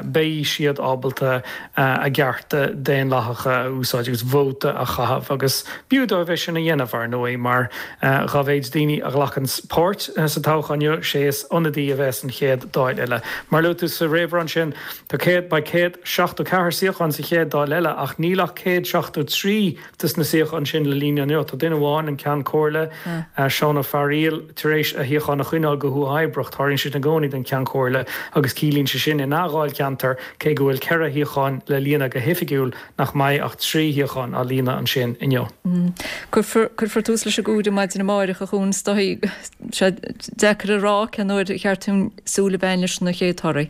beidh siad ábalta a gcearta daonlathacha a úsáid agus vóta a chaitheamh. Agus b'fhiú dóibh é sin a dhéanamh, ar ndóigh, mar dá mhéid daoine a ghlacann páirt sa toghchán inniu, sé is ionadaí a bheas san chéad Dáil eile. Mar a luaigh tú sa réamhrá ansin, tá 100, beidh 174 suíochán sa chéad Dáil eile ach níl ach 173 des na suíocháin sin le líonadh inniu. Tá duine amháin, an Ceann Comhairle, Seán Ó Fearghaíl, tar éis a shuíochán a choinneáil go huathoibríoch. Tarlaíonn sé sin i gcónaí don Cheann Comhairle agus ciallaíonn sé sin ina dháilcheantar, cé go bhfuil 4 shuíochán le líonadh go hoifigiúil, nach mbeidh ach 3 shuíochán á líonadh ansin inniu. Cuirfear cuirfear tús leis an gcomhaireamh maidin amárach, a Chuain. Is dóigh, sé deacair a rá cén uair ar cheart dúinn súil a bheith leis na chéad torthaí.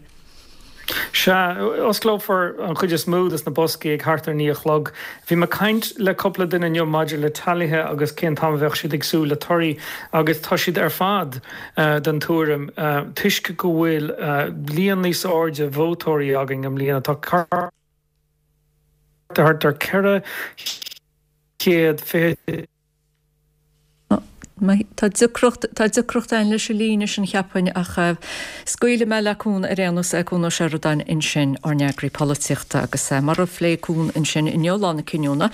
Sea, osclófar an chuid is mó des na boscaí ag thart ar 9 a chlog. Bhí mé ag caint le cúpla duine inniu maidir le teailithe agus cén t-am a bheadh siad ag súil le torthaí agus tá siad ar fad den tuairim, toisc go bhfuil líon níos airde vótóirí againn i mbliana, tá thart ar 420. Tá deacracht, tá deacracht ann leis an líne sin cheapfainn ach scaoilfidh mé le Cuan ar aon nós, Cuan Ó Seireadáin ansin, ár n-eagraí polaitíochta agus mar a phléigh Cuan ansin inniu, lá na cinniúna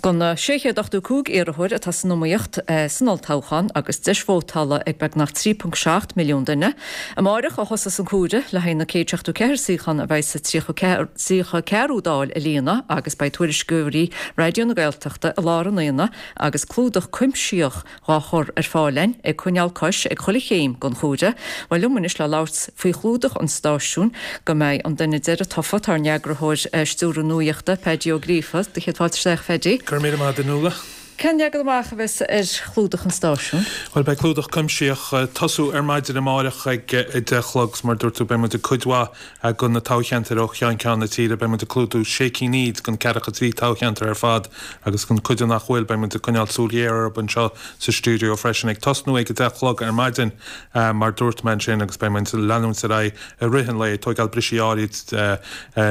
do na 685 iarrthóir atá san iomaíocht san olltoghchán agus deis vótála ag beagnach 3.7 milliún duine. Amáireach a thosós an comhaireamh le haghaidh na 174 suíochán a bheidh sa 34ú Dáil a líonadh agus beidh tuairisceoirí Raidió na Gaeltachta i lár an aonaigh agus clúdach cuimsitheach dhá chur ar fáil againn, ag coinneáil cois ag chuile chéim den chomhaireamh. Bhuel, liom anois le labhairt faoi chlúdach an stáisiúin go mbeidh an duine deiridh tofa, tá ár n-eagarthóir stiúrtha nuachta, Peaidí Ó Gríofa. Do chéad fáilte isteach, a Pheaidí. Go raibh míle maith agat, a Nuala. Cén leagan amach a bheas ar chlúdach an stáisiúin? Bhuel, beidh clúdach cuimsitheach ag tosú ar maidin amáireach ag 10 a chlog 's mar a dúirt tú beidh muid ag cuid mhaith de na toghcheantair ó cheann ceann na tíre. Beidh muid ag clúdú sé cinn fhichead den ceathracha trí toghcheantar ar fad agus an cuid nach bhfuil beidh muid ag coinneáil súil ghéar orthu anseo sa stiúideo freisin. Ag tosnú ag 10 a chlog ar maidin mar dúirt mé ansin agus beidh muid ag leanúint ar aghaidh i rith an lae, tóigeáil brisí áirid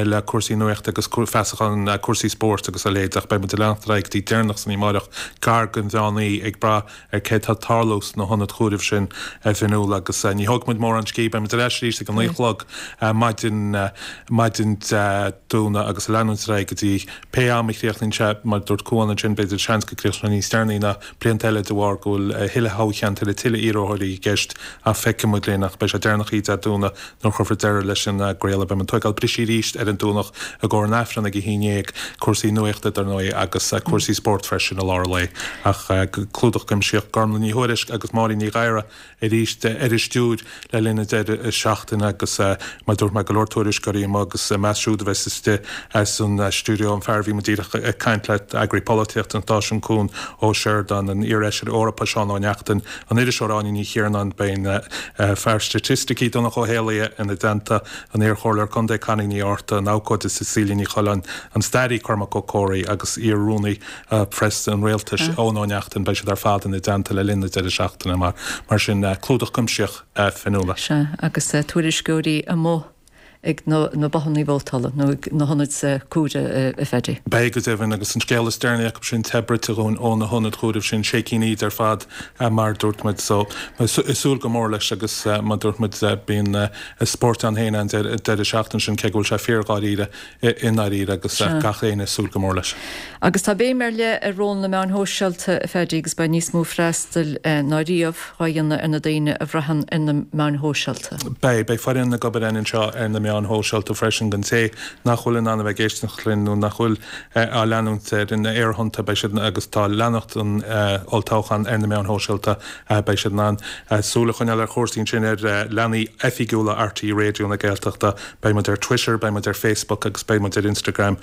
le cúrsaí nuachta agus feasachán cúrsaí spóirt agus a leithéid ach beidh muid ag leanacht ar aghaidh go dtí deireanach san oíche amáireach, gar don mheán oíche, ag brath ar cé tá ag tarlú sna hionaid chomhairimh sin a Fhionnuala agus ní thógfaidh muid mórán scíth, beidh muid ar ais arís ag a naoi a chlog maidin maidin Dé Domhnaigh agus ag leanúint ar aghaidh go dtí pé am a chríochnaíonn sé, mar a dúirt Cuan ansin, b'fhéidir seans go gcríochnóidh sé níos deireanaí ná blianta eile de bharr go bhfuil a thuilleadh thoghcheantar le tuilleadh iarrthóirí i gceist ach feicfidh muid linn ach beidh sé deireanach oíche Dé Domhnaigh nuair a chuirfear deireadh leis an gcraoladh. Beidh muid ag tóigeáil brisí arís ar an Domhnach i gcomhair an Aifreann ag a haon dhéag, cúrsaí nuachta dar ndóigh agus cúrsaí spóirt freisin i lár an lae ach clúdach cuimsitheach Gormlaith Ní Thuairisg agus Máirín Ní Ghadhra arís ar an stiúir le linn an deireadh seachtaine agus mar a dúirt mé go leor tuairisceoirí amuigh agus ina measc siúd a bheas istigh san stiúideo an fear a bhí muid díreach ag caint le, eagraí polaitíochta an stáisiúin Cuan Ó Seireadáin, an iar-fheisire Eorpach Seán Ó Neachtain, an iriseoir Áine Ní Chiarnáin, beidh an fear staitisticí Donncha Ó hÉallaithe ina dteannta, an iar-chomhairleoir contae Connie Ní Fhátharta, an abhcóide Cecilia Ní Choileáin, an staraí Cormac Ó Comhraí agus iar-rúnaí Preasa an Rialtais, Eoin Ó Neachtain, beidh siad ar fad ina dteannta le linn na deireadh seachtaine mar mar sin clúdach cuimsitheach Fionnuala. Sea, agus tuairisceoirí amuigh ag na bothanna vótála nó ag na hionaid comhairimh, a Phaddy. Beidh go deimhin, agus an scéal is deireanaí acu sin te bruite dhúinn ó na hionaid chomhairimh sin, sé cinn fhichead ar fad mar a dúirt muid. So, ag súil go mór leis agus mar a dúirt muid bíonn spórt ann féin an deireadh seachtaine sin cé go bhfuil sé fíor-dháiríre i ndáiríre agus gach éinne ag súil go mór leis. Agus tá béim ar leith ar ról na meáin shóisialta, a Phaddy, agus beidh níos mó freastail ná riamh dhá dhéanamh ar na daoine a bhraitheann ar na meáin shóisialta. Beidh. Beidh foireann ag obair againn anseo ar na meáin shóisialta freisin don té nach bhfuil in ann a bheith ag éisteacht linn nó nach bhfuil á leanúint ar na aerthonnta, beidh siad, agus tá leanacht an olltoghcháin ar na meáin shóisialta, beidh siad in ann súil a choinneáil ar chúrsaí ansin ar leathanaigh oifigiúla RTÉ Raidió na Gaeltachta. Beidh muid ar Twitter, beidh muid ar Facebook agus beidh muid ar Instagram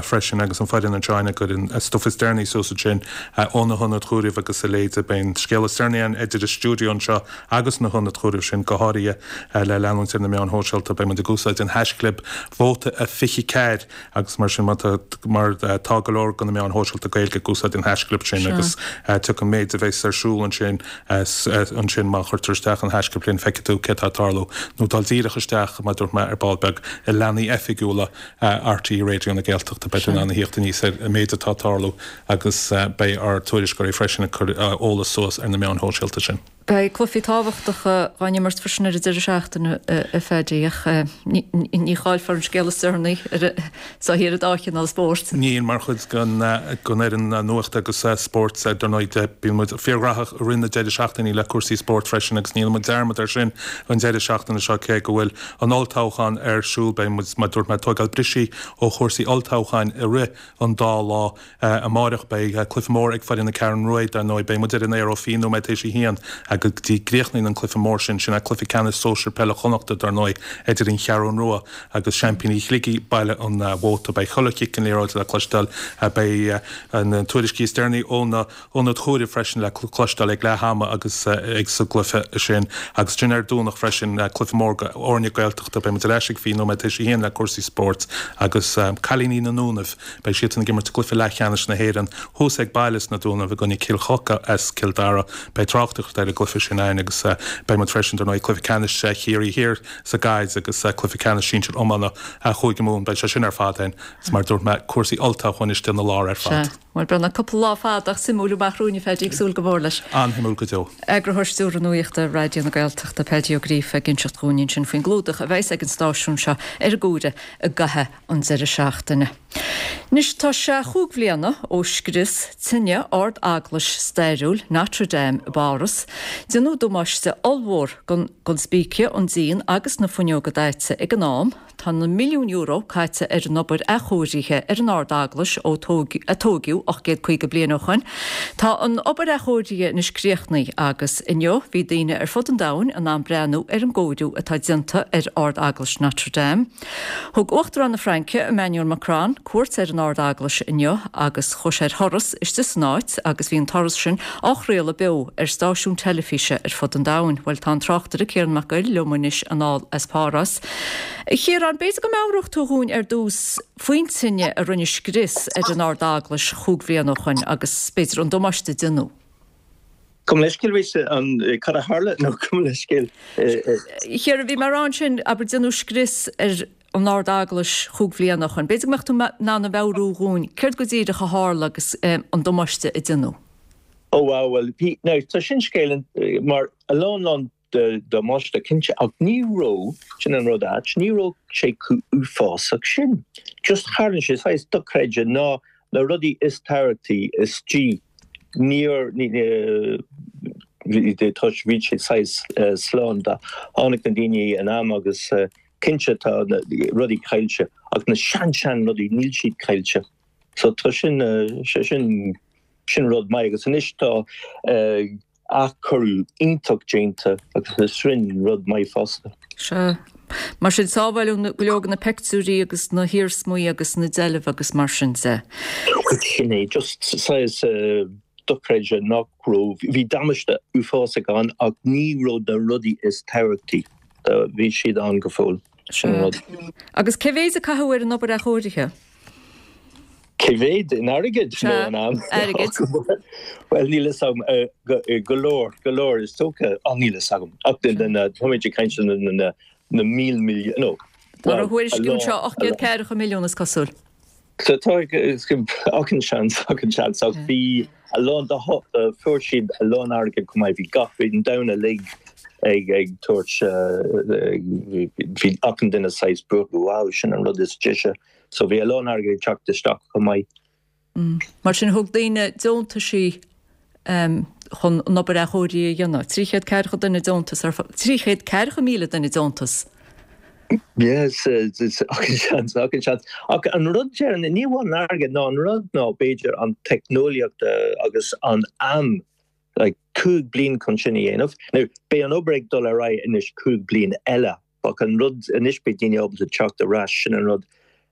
freisin agus an foireann anseo againn ag cur an stuif is deireanaí suas ansin ó na hionaid chomhairimh agus a leithéid. Beidh an scéal is deireanaí againn idir an stiúideo anseo agus na hionaid chomhairimh sin, go háirithe le leanúint ar na meáin shóisialta. Beidh muid ag úsáid an haischlib vóta a 24 agus mar sin mar tá go leor de na meáin shóisialta Gaeilge ag úsáid an haischlib sin agus tiocfaidh an méid a bheas ar siúl ansin ansin má chuirtear isteach an haischlib sin feicfidh tú cé tá ag tarlú nó dul díreach isteach mar a dúirt mé ar ball beag i leathanaigh oifigiúla RTÉ Raidió na Gaeltachta beidh tú in ann a thíocht aníos ar an méid atá ag tarlú agus beidh ár tuairisceoirí freisin ag cur eolas suas ar na meáin shóisialta sin. Beidh cluichí tábhachtacha dhá n-imirt freisin ar an deireadh seachtaine, a Phaddy, ach ní chaillfear an scéal is deireanaí sa thír an dá chineál spóirt. Níl, mar chuid den fhoireann nuachta agus spóirt, dar ndóigh, bíonn muid fíorghnóthach i rith na deireadh seachtainí le cúrsaí spóirt freisin agus níl muid dearmad air sin an deireadh seachtaine seo cé go bhfuil an olltoghchán ar siúl. Beidh muid, mar a dúirt mé, ag tóigeáil brisí ó chúrsaí olltoghcháin i rith an dá lá. Amáireach beidh cluiche mór ag foireann na Ceathrún Rua, dar ndóigh. Beidh muid ar an aer ó 20 nóiméad tar éis a haon go dtí gcríochnaíonn an cluiche mór sin. Sin é cluiche ceannais sóisir peile Chonnachta, dar ndóigh, idir an Cheathrún Rua agus seaimpíní Shligigh, Baile an Mhóta. Beidh chuile chic den liathróid le cloisteáil. Beidh na tuairiscí is deireanaí ó na hionaid chomhairimh freisin le cloisteáil ag leath ama agus ag sa gcluiche sin. Agus sin ar Domhnach freisin, cluiche mór do fhoirne Gaeltachta. Beidh muid ar ais ag 20 nóiméad tar éis a haon le cúrsaí spóirt agus cailíní na nDúnaibh. Beidh siadsan ag imirt i gcluiche leathcheannais na hÉireann thuas ag baile sna Dúnaibh i gcoinne Cill Choca as Cill Dara. Beidh tráchtaireacht ar an gcluiche sin againn agus beidh muid freisin, dar ndóigh, cluiche ceannais Chiarraí Thiar sa gcaid agus cluiche ceannais sinsir iomána Chúige Mumhan. Beidh sé sin ar fad againn agus mar a dúirt mé, cúrsaí olltoghcháin istigh ina lár ar fad. Sea. Bhuel, beidh cúpla lá fada ach suimiúil amach romhainn, a Phaddy, ag súil go mór leis. An-shuimiúil go deo. Eagarthóir Stiúrtha Nuachta Raidió na Gaeltachta, Paddy Ó Gríofa, ag inseacht dhúinn ansin faoin gclúdach a bheas ag an stáisiún seo ar an gcomhaireamh i gcaitheamh an deireadh seachtaine. Anois tá sé chúig bhliana ó scrios tine Ard-Eaglais stairiúil Notre Dame i bPáras. Déanadh damáiste ollmhór don spíce, an díon agus na fuinneoga daite ag an am. Tá na milliúin euro caite ar an obair athchóirithe ar an Ard-Eaglais ó a tóigeadh. 850 bliain ó shoin. Tá an obair athchóirithe anois críochnaithe agus inniu bhí daoine ar fud an domhain in ann breathnú ar an gcóiriú atá déanta ar Ard-Eaglais Notre Dame. Thug Uachtarán na Fraince, Emmanuel Macron, cuairt ar an Ard-Eaglais inniu agus chuaigh sé ar thuras istigh san áit agus bhí an turas sin á chraoladh beo ar stáisiúin teilifíse ar fud an domhain. Bhuel, tá an tráchtaire Ciarán Mac Goill liom anois anall as Páras. A Chiaráin, b'fhéidir go meabhródh tú dhúinn ar dtús faoin tine a rinne scrios ar an Ard-Eaglais chúig bhliain ó shoin agus b'fhéidir an damáiste a déanadh. Gabh mo leithscéal arís an cad a tharla nó gabh mo leithscéal. A Chiaráin, bhí mé a rá ansin, abair, déanadh scrios ar an Ard-Eaglais chúig bhliana ó shoin. B'fhéidir go mbeadh tú in ann a mheabhrú dhúinn céard go díreach a tharla agus an damáiste a déanadh. Ó wow, bhuel, bhí, now tá sin scéal mar a lán lán de damáiste cinnte ach ní raibh, sin an rud ait, ní raibh sé chomh uafásach sin. Just tharla sé saghas dochreidte ná na rudaí is tábhachtaí istigh níor, toisc bhí sé saghas slán tháinig na daoine in am agus cinnte tá na rudaí caillte ach na sean sean rudaí níl siad caillte. So tá sin, sé sin, sin rud maith agus anois tá athchóiriú iontach déanta agus is sin rud maith fosta. Sea. Mar sin, sábháileadh go leor de na peictiúirí agus na hiarsmaí agus na deilbh agus mar sin de. Bhuel, sin é. Just saghas dochreidte nach raibh, bhí damáiste uafásach ann ach ní raibh na rudaí is tábhachtaí, bhí siad ann go fóill. Sin an rud. Agus cé mhéid a caitheadh ar an obair athchóirithe? Cé mhéad in airgead nó Sea, in am? airgead. Bhuel, níl fhios agam. Go leor, go leor is dócha. Á, níl fhios agam. Ach táimid ag caint na na míl milliún, no. Tá á thuairisciú anseo 840 milliún is cosúil. So tá achan seans, achan seans. Ach bhí a lán, fuair siad a lán airgead chomh maith. Bhí gach, bhí an domhan uilig ag ag tabhairt, bhí achan duine saghas buartha, wow, sin an rud is deise. So bhí a lán airgid ag teacht isteach chomh maith. Mar sin thug daoine deontaisí chun an obair athchóirithe a dhéanamh. 340 duine deontas ar 340,000 duine deontas. Yes, achan seans, achan seans. Ach an rud deireanach, ní amháin an airgead ná an rud ná b'fhéidir an teicneolaíocht agus an am, like 5 bliain chun sin a dhéanamh. Now beidh an obair ag dul ar aghaidh anois 5 bliain eile. Ach an rud, anois beidh daoine ábalta teacht ar ais, sin an rud.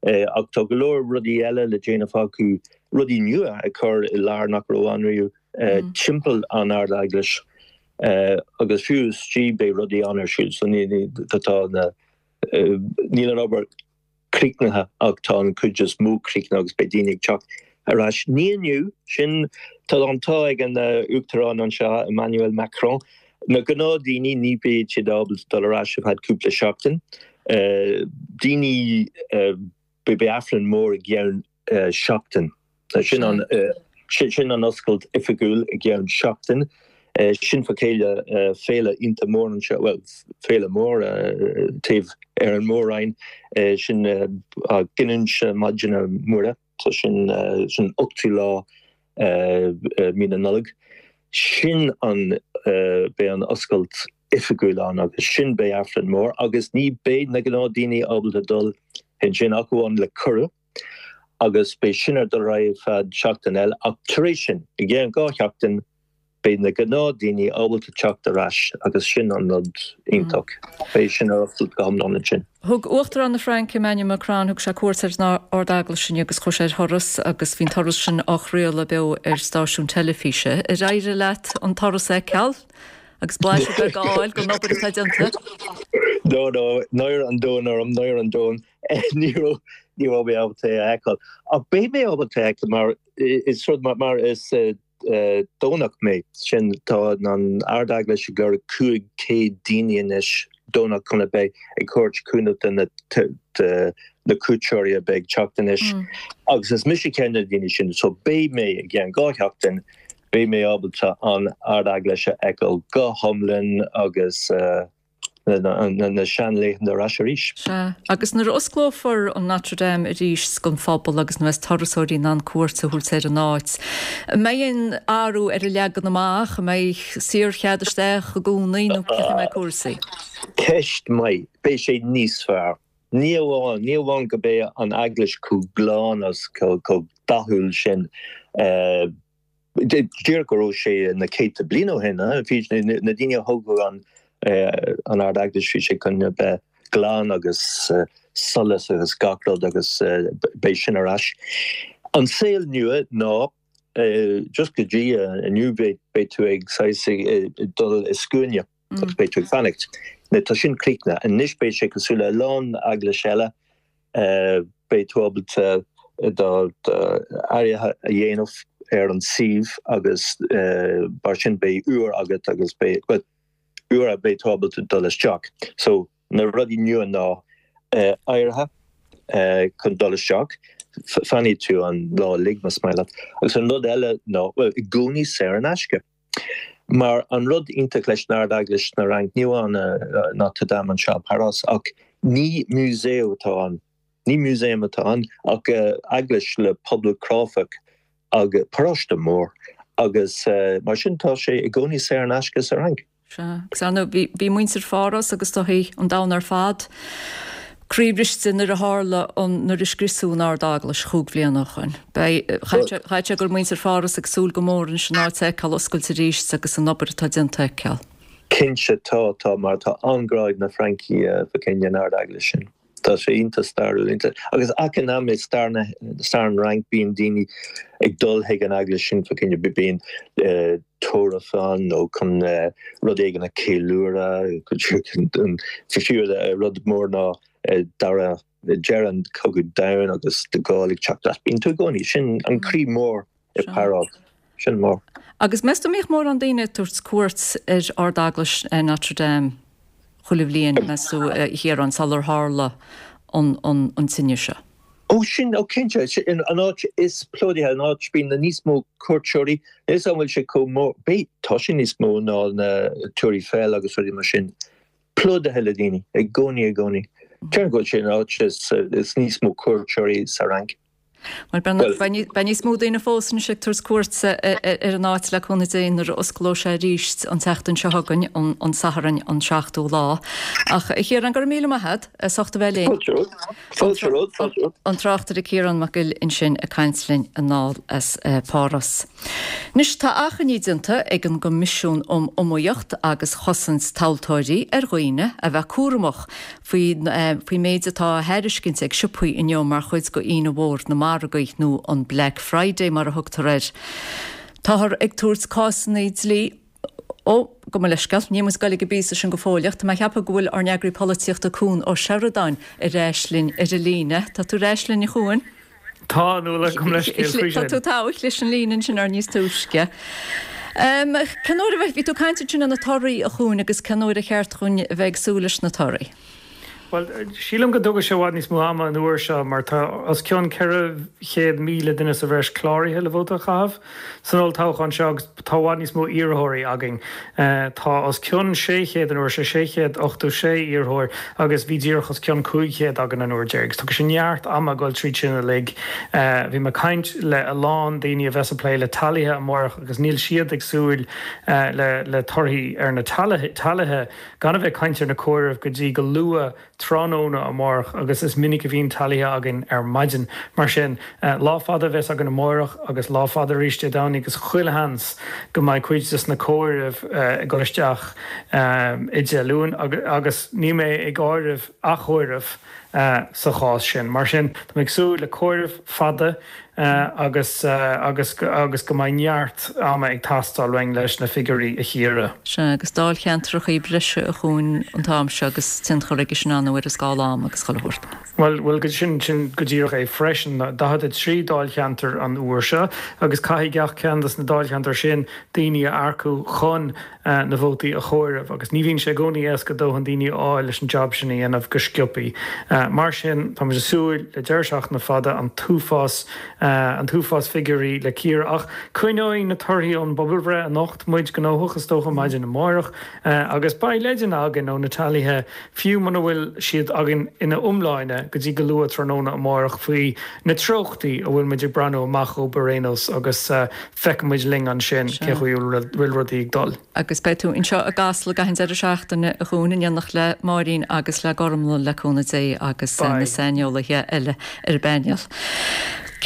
Ach tá go leor rudaí eile le déanamh acu, rudaí nua a chur i lár nach raibh ann riamh, timpeall an Ard-Eaglais. Agus fiú istigh beidh rudaí ann ar siúl, so ní, tá na, níl an obair críochnaithe ach tá an chuid is mó críochnaithe agus beidh daoine ag teacht ar ais. Ní inniu, sin, tá an t-ádh ag an Uachtarán anseo, Emmanuel Macron, na gnáthdhaoine ní bheidh siad ábalta dul ar ais ar feadh cúpla seachtain. Daoine, beidh Aifreann mór i gceann seachtain. Sin an sin an oscailt oifigiúil i gceann seachtain. Sin fa chéile féile iontach mór anseo, bhuel, féile mór taobh ar an Mór-Roinn, sin Giniúint na Maighdine Muire, so sin sin ochtú lá mí na Nollag. Sin an beidh an oscailt oifigiúil ann agus sin beidh Aifreann mór agus ní beidh na gnáthdaoine ábalta dul ansin ach amháin le cuireadh. agus beidh sin ar dul ar aghaidh ar feadh seachtain eile ach tar éis sin, i gceann 2 sheachtain, beidh na gnáthdaoine ábalta teacht ar ais agus sin an rud iontach. Beidh sin ar oscailt go hiomlán ansin. Thug Uachtarán na Fraince, Emmanuel Macron, thug sé cuairt ar an Ard-Eaglais inniu agus chuaigh sé ar thuras agus bhí an turas sin á chraoladh beo ar stáisiún teilifíse. Ar éirigh leat an turas a fheiceáil agus blaiseadh beag a fháil den obair atá déanta? No, no, náire an domhain orm, náire an domhain. Ní raibh, ní raibh mé ábalta é a fheiceáil. Ach beidh mé ábalta é a fheiceáil mar is rud mar, mar is Domhnach mé. Sin, tá an Ard-Eaglais ag lorg 500 daoine anois Domhnach chun a bheith ag thabhairt cúnamh do na, do na cuairteoirí a bheidh ag teacht anois. Agus is mise ceann de na daoine sin. So beidh mé i gceann 2 sheachtain, beidh mé ábalta an Ard-Eaglais a fheiceáil go hiomlán agus, na seanlaethanta ar ais arís. Sea, agus nuair a osclófar an Notre Dame arís don phobal agus nuair a bheas turasóirí in ann cuairt a thabhairt ar an áit, an mbeidh aon athrú ar an leagan amach? An mbeidh saorchead isteach i gcónaí nó cén chaoi a mbeidh cúrsaí? Ceist maith. Beidh sé níos fearr. Ní amháin, ní amháin go beidh an eaglais chomh glan agus chomh dathúil sin, díreach go raibh sé na céadta bliain ó shin, bhí na daoine a thógadh an an Ard-Eaglais, bhí sé chun a bheith glan agus solas agus gach rud agus beidh sin ar ais. An saol nua ná just go dtí inniu beidh tú ag saghas ag dul i scuaine agus beidh tú ag fanacht. Tá sin críochnaithe. Anois beidh sé cosúil le a lán eaglais eile, beidh tú ábalta do áirithe a dhéanamh ar an suíomh agus mar sin beidh uair agat agus beidh, bhuel, uair a beidh tú ábalta dul isteach. So na rudaí nua ná áirithe chun dul isteach, fanfaidh tú an lá uilig más maith leat. Agus an rud eile ná, bhuel, i gcónaí saor in aisce. Mar an rud iontach leis an Ard-Eaglais na Fhrainc, ní amháin Notre Dame anseo i bPáras, ach ní músaem atá ann, ní músaem atá ann ach eaglais le pobal cráifeach agus paróiste mór agus mar sin tá sé i gcónaí saor in aisce sa Fhrainc. Sea, agus ar ndóigh bhí muintir Pháras agus is dóichí an domhan ar fad croíbhriste nuair a tharla an, nuair a scriosadh an Ard-Eaglais chúig bhliana ó shoin. Beidh, chaithfeadh sé go raibh muintir Pháras ag súil go mór anois an áit a fheiceáil oscailte arís agus an obair atá déanta a fheiceáil. Cinnte, tá, tá, mar tá an-ghrá ag na Francaigh fá choinne an Ard-Eaglais sin. Tá sé iontach stairiúil, iontach. Agus achan am i stair na, stair an Fhrainc bíonn daoine ag dul chuig an eaglais sin fá choinne, bíonn tórramh ann nó chun rud éigin a cheiliúradh, fiú rud mór ná dara, deireadh an Chogadh Domhain agus de Gaulle ag teacht as. Bíonn tú i gcónaí, sin an croí mór i bPáras. Sin mór. Agus meas tú an mbíodh mórán daoine ag tabhairt cuairt ar Ard-Eaglais Notre Dame chuile bhliain, meas tú, a Chiaráin, sular tharla an tine seo? Ó sin, ó cinnte, sin an áit is plódaithe, an áit bíonn na níos mó cuairteoirí, níl 'fhios a'm an bhfuil sé chomh mór, beidh, tá sé níos mó ná na Túr Eiffel agus rudaí mar sin, plódaithe le daoine, i gcónaí, i gcónaí. Déarfainn go bhfuil sé an áit is, is níos mó cuairteoirí sa Fhrainc. Bhuel, beidh níos mó daoine fós anois ag tabhairt cuairt ar an áit le cúnamh Dé nuair a osclóidh sé arís an tseachtain seo chugainn, an Satharn an 7ú lá. Ach, a Chiaráin, go raibh míle maith agat as ucht a bheith linn. Fáilte romhat. Fáilte romhat, fáilte romhat. An tráchtaire Ciarán Mac Goill ansin ag caint linn anall as Páras. Anois, tá achainí déanta ag an gCoimisiún um Iomaíocht agus Chosaint Tomhaltóirí ar dhaoine a bheith cúramach faoin méid atá á thairiscint ag siopaí inniu mar chuid de Aoine Mhór na Margaí, nó an Black Friday mar a thugtar air. Táthar ag tabhairt cásanna dlí. Ó, gabh mo leithscéal, níl muid ag goil ag an bpíosa sin go fóilleach. Tá mé ag ceapadh go bhfuil ár n-eagraí polaitíochta Cuan Ó Seireadáin ar ais linn ar an líne. Tá tú ar ais linn, a Chuain? Tá, a Nuala, gabh mo leithscéal faoi sin. Tá tú togha leis an líne ansin ar níos túisce. Cén uair a bhí tú ag caint ansin ar na torthaí, a Chuain, agus cén uair ar cheart dhúinn a bheith ag súil leis na torthaí? Bhuel, sílim go dtógfaidh sé i bhfad níos mó ama an uair seo mar tá os cionn 400,000 duine sa bhreis cláraithe le vóta a chaitheamh san olltoghchán seo agus tá i bhfad níos mó iarrthóirí againn. Tá os cionn 600 an uair seo, 686 iarrthóir agus bhí díreach os cionn 500 againn an uair deiridh. Tógfaidh sé neart ama dul tríd sin uilig. Bhí mé ag caint le a lán daoine a bheas ag plé le teailithe amárach agus níl siad ag súil le torthaí ar na teailithe. Gan a bheith ag caint ar na comhairimh go dtí go luath tráthnóna amárach agus is minic a bhíonn teailithe againn ar maidin. Mar sin, lá fada a bheas againn amárach agus lá fada arís Dé Domhnaigh agus chuile sheans go mbeidh cuid des na comhairimh ag dul isteach i Dé Luain agus níl mé ag áireamh athchomhaireamh sa chás sin. Mar sin, tá mé ag súil le comhaireamh fada agus agus agus go mbeidh neart ama ag teastáil uainn leis na figiúirí a chíoradh. Sea, agus dáilcheantrachaí breise a Chuain an t-am seo agus tionchar aige sin ar ndóigh ar an scála ama agus chuile shórt. Bhuel, bhuel, sin, sin go díreach é freisin. 43 dáilcheantar an uair seo agus caithfidh gach ceann des na dáilcheantair sin daoine a earcú chun na vótaí a chomhaireamh agus ní bhíonn sé i gcónaí éasca dóthain daoine a fháil leis an jab sin a dhéanamh go sciobthaí. Mar sin, tá muid ag súil le deireadh seachtaine fada, an t-uafás, an t-uafás figiúirí le cíoradh. Ach coinneoidh na torthaí ón bpobalbhreith anocht muid gnóthach, is dócha, maidin amárach agus beidh leideanna againn ó na teailithe, fiú muna bhfuil siad againn ina iomláine go dtí go luath tráthnóna amárach, faoi na treochtaí a bhfuil muid ag breathnú amach dhóibh ar aon nós agus feicfidh muid linn ansin cé chaoi a bhfuil rudaí ag dul. Agus beidh tú anseo i gCasla gach aon deireadh seachtaine, a Chuain, in éineacht le Máirín agus le Gormlaith, le cúnamh Dé, agus. agus na saineolaithe eile ar an bpainéal.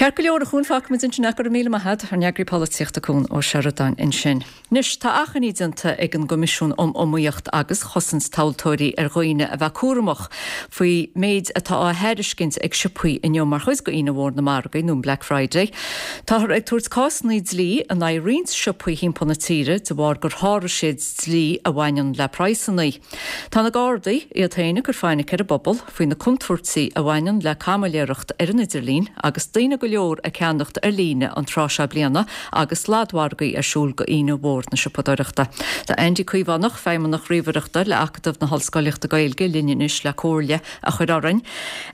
Ceart go leor, a Chuain, fágfaimid ansin é. Go raibh míle maith agat, ár n-eagraí polaitíochta Cuan Ó Seireadáin ansin. Anois, tá achainí déanta ag an gCoimisiún um Iomaíocht agus Chosaint Tomhaltóirí ar dhaoine a bheith cúramach faoi méid atá á thairiscint ag siopaí inniu mar chuid de Aoine Mhór na Margaí nó an Black Friday. Táthar ag tabhairt cásanna dlí in aghaidh roinnt siopaí thimpeall na tíre de bharr gur sháraigh siad dlí a bhaineann le praghsanna. Tá na Gardaí iad féin ag cur fainic ar an bpobal faoi na contúirtí a bhaineann le caimiléireacht ar an idirlíon agus daoine go leor ag ceannacht ar líne an tráth seo bliana agus sladmhargaí ar siúl go Aoine Mhór na Siopadóireachta. Tá Andy Caomhánach, Feidhmeannach Ríomhaireachta le Acadamh na hOllscolaíochta Gaeilge linn anois le comhairle a chur orainn.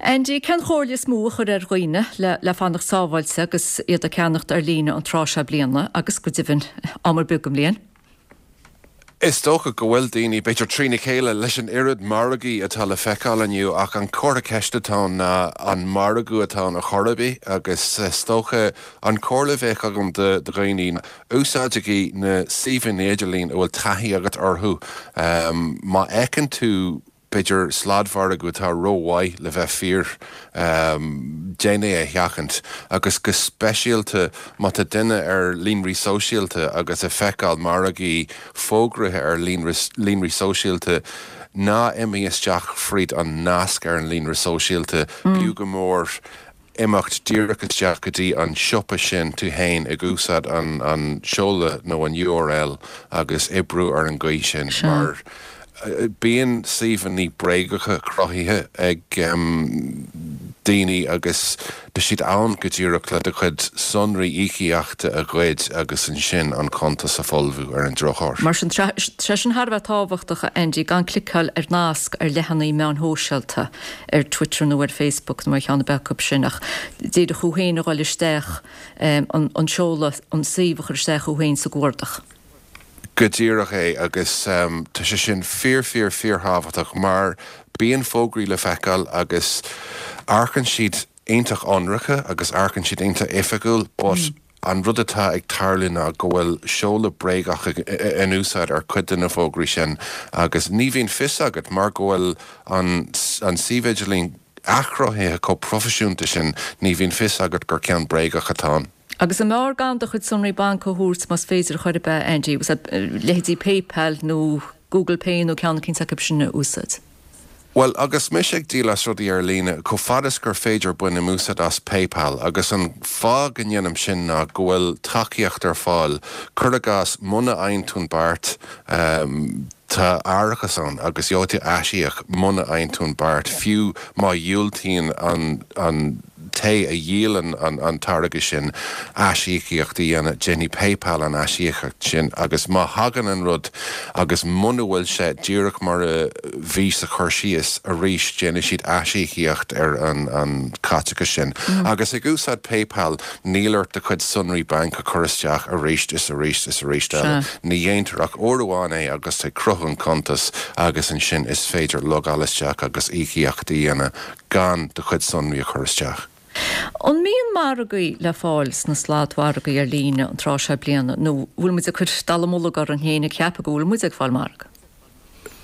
Andy, cén chomhairle is mó a chuirfeá ar dhaoine le le fanacht sábháilte agus iad ag ceannacht ar líne an tráth seo bliana agus go deimhin am ar bith den mbliain? Is dócha go bhfuil daoine, b'fhéidir, trína chéile leis an oiread margaí atá le feiceáil inniu ach an comhartha ceiste atá ann ná an margadh atá ann ar chor ar bith agus is dócha an chomhairle a bheadh agam do dhaoine, úsáidigí na suíomhanna idirlín a bhfuil taithí agat orthu. Má fheiceann tú b'fhéidir, sladmhargadh atá rómhaith le bheith fíor, déan é a sheachaint. Agus go speisialta má tá duine ar líonraí sóisialta agus ag feiceáil margaí fógraithe ar líonraí sóisialta, ná imigh isteach fríd an nasc ar an líonra sóisialta, b'fhiú go mór imeacht díreach isteach go dtí an siopa sin tú féin ag úsáid an seoladh nó an URL agus oibriú ar an gcaoi sin mar bíonn suíomhanna bréagacha cruthaithe ag daoine agus tá siad ann go díreach le do chuid sonraí íocaíochta a ghoid agus ansin an cuntas a fholmhú ar an drochuair. Mar sin, tá sé sin thar a bheith tábhachtach, a Andy, gan cliceáil ar nasc ar leathanaigh meáin shóisialta. ar Twitter nó ar Facebook nó ar cheann ar bith acu sin ach díreach thú féin a dhul isteach, an seoladh, an suíomh a chur isteach thú féin sa gcuardach. Go díreach é agus tá sé sin fíor fíor fíor thábhachtach mar bíonn fógraí le feiceáil agus amharcann siad iontach ionraice agus amharcann siad iontach oifigiúil but an rud atá ag tarlú ná go bhfuil seoladh bréagach in úsáid ar cuid de na fógraí sin agus ní bhíonn fios agat mar go bhfuil an an suíomh idirlín athchruthaithe chomh proifisiúnta sin ní bhíonn fios agat gur ceann bréagach atá ann. Agus an mb'fhearr gan do chuid sonraí bainc a thabhairt más féidir chor ar bith, Andy, leithéidí PayPal nó Google Pay nó ceann eicínt acu sin a úsáid? Bhuel, agus mise ag díol as rudaí ar líne, chomh fada is gur féidir bainim úsáid as PayPal agus an fáth go ndéanaim sin ná go bhfuil tacaíocht ar fáil. Cuir i gcás, muna fhaigheann tú an beart, tá árachas ann agus gheobhaidh tú aisíoc muna fhaigheann tú an beart, fiú má dhiúltaíonn an an té a dhíolann an táirge sin aisíocaíocht a dhéanamh, déanfaidh PayPal an aisíocaíocht sin agus má thagann an rud agus muna bhfuil sé díreach mar a bhí sa chur síos, arís déanfaidh siad aisíocaíocht ar an chaiteachas sin. Agus ag úsáid PayPal níl ort do chuid sonraí bainc a chur isteach arís is arís is arís eile. Ní dhéantar ach uair amháin é agus tú ag cruthú an cuntas agus ansin is féidir logáil isteach agus íocaíocht a dhéanamh gan do chuid sonraí a chur isteach. An mbíonn margaí le fáil sna sladmhargaí ar líne an tráth seo bliana nó bhfuil muid ag cur dallamullóg orainn féin ag ceapadh go bhfuil muid ag fáil margadh?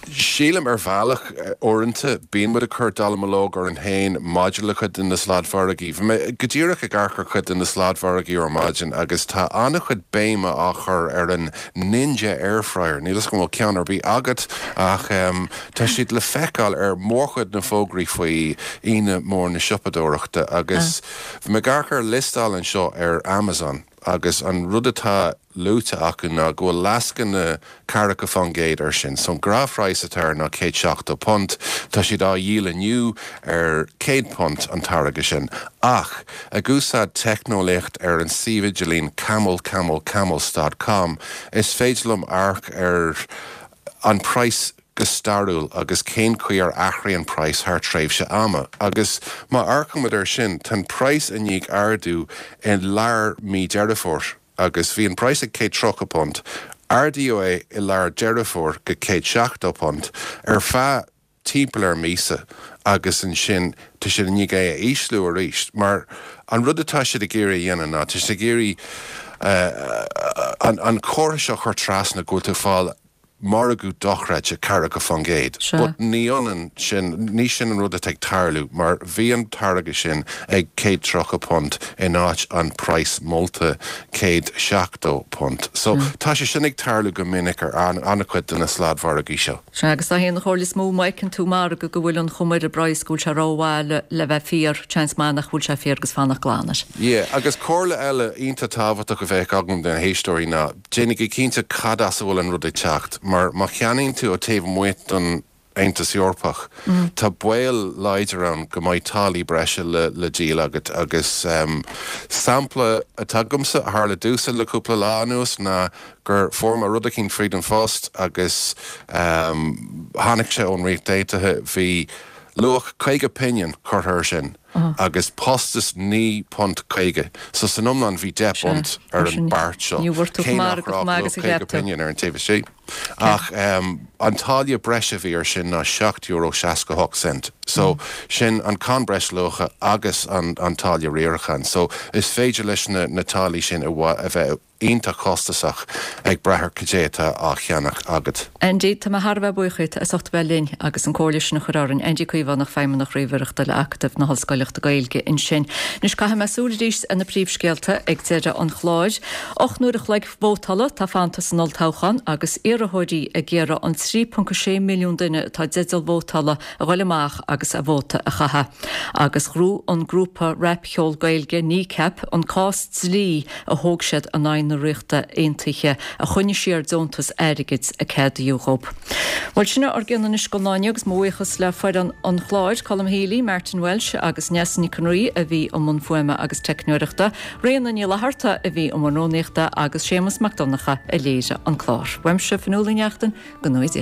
Sílim ar bhealach, uaireanta, bíonn muid ag cur dallamullóg orainn féin maidir le cuid de na sladmhargaí. Bhí mé go díreach ag amharc ar chuid de na sladmhargaí ar maidin agus tá an-chuid béime á chur ar an Ninja Airfryer. Níl 'fhios agam an bhfuil ceann ar bith agat ach tá siad le feiceáil ar mhórchuid na fógraí faoi Aoine Mhór na Siopadóireachta agus bhí mé ag amharc ar liostáil anseo ar Amazon agus an rud atá luaite acu ná go bhfuil lascaine 40% air sin. So an gnáthphraghas atá air ná £170. Tá siad á dhíol inniu ar £100 an táirge sin. Ach, ag úsáid teicneolaíocht ar an suíomh idirlín camelcamelcamels dot com, is féidir liom amharc ar an praghas go stairiúil agus cén chaoi ar athraigh an praghas thar tréimhse ama. Agus má amharcaimid air sin, tá an praghas i ndiaidh ardú i lár mí Deireadh Fómhair agus bhí an praghas ag £130, ardaíodh é i lár Deireadh Fómhair go £170 ar feadh timpeall ar míosa agus ansin tá siad i ndiaidh é a ísliú arís mar an rud atá siad ag iarraidh a dhéanamh ná tá siad ag iarraidh an comhartha seo a chur trasna go bhfuil tú ag fáil. margadh dochreidte, 40%. Sea. But ní ionann sin, ní sin an rud atá ag tarlú mar bhí an táirge sin ag £130 in áit an praghas molta £170. So tá sé sin ag tarlú go minic ar an-chuid de na sladmhargaí seo. Sea, agus dá haon chomhairle is mó má fheiceann tú margadh go bhfuil an chuma ar an bpraghas go bhfuil sé rómhaith le bheith fíor, seans maith nach bhfuil sé fíor agus fanacht glan air. Yeah, agus comhairle eile iontach tábhachtach a bheadh agam do na héisteoirí ná, déanaigí cinnte cad as a bhfuil an rud ag teacht, mar má cheannaíonn tú ó taobh amuigh don Aontas Eorpach, tá baol láidir ann go mbeidh táillí breise le díol agat agus sampla atá agamsa a tharla domhsa le cúpla lá anuas ná gur fuair mé rud eicínt fríd an phost agus tháinig sé ón Ríocht Aontaithe, bhí luach 50 pingin curtha air sin agus postas £9.50 so san iomlán bhí 10 bpunt ar an beart seo, cé nach raibh luach 50 pingin ar an taobh istigh. Ach an táille breise a bhí air sin ná €7.68 so sin an cáin breisluacha agus an táille riaracháin so is féidir leis na táillí sin a bheith iontach costasach ag brath ar cad é atá á cheannach agat. Andy, tá mé thar a bheith buíoch díot as ucht a bheith linn agus an comhairle sin a chur orainn. Andy Caomhánach, Feidhmeannach Ríomhaireachta le Acadamh na hOllscoileachta Gaeilge ansin. Anois caithfidh mé súil arís ar na príomhscéalta ag deireadh an chláir. 8 n-uair a chloig vótála atá fanta san olltoghchán agus iarrthóirí ag iarraidh an 3.6 milliún duine atá i dteideal vótála a ghoil amach agus a vóta a chaitheamh. Agus ghnóthaigh an grúpa rapcheol Gaeilge Kneecap an cás dlí a thóg siad in aghaidh na Ríochta Aontaithe a choinnigh siar deontas airgid a ceadaíodh dhób. Bhuel, sin é ár gcion anois don lá inniu agus mo bhuíochas le foireann an chláir, Colm Healy, Martin Walsh agus Neasa Nic an Rí a bhí i mbun fuaime agus teicneoireachta, Ríona Ní Fhlatharta a bhí i mbun rúnaíochta agus Séamus Mac Donncha a léirigh an clár. Uaimse, Fionnuala Ní Neachtain, go ngnóthaí Dia.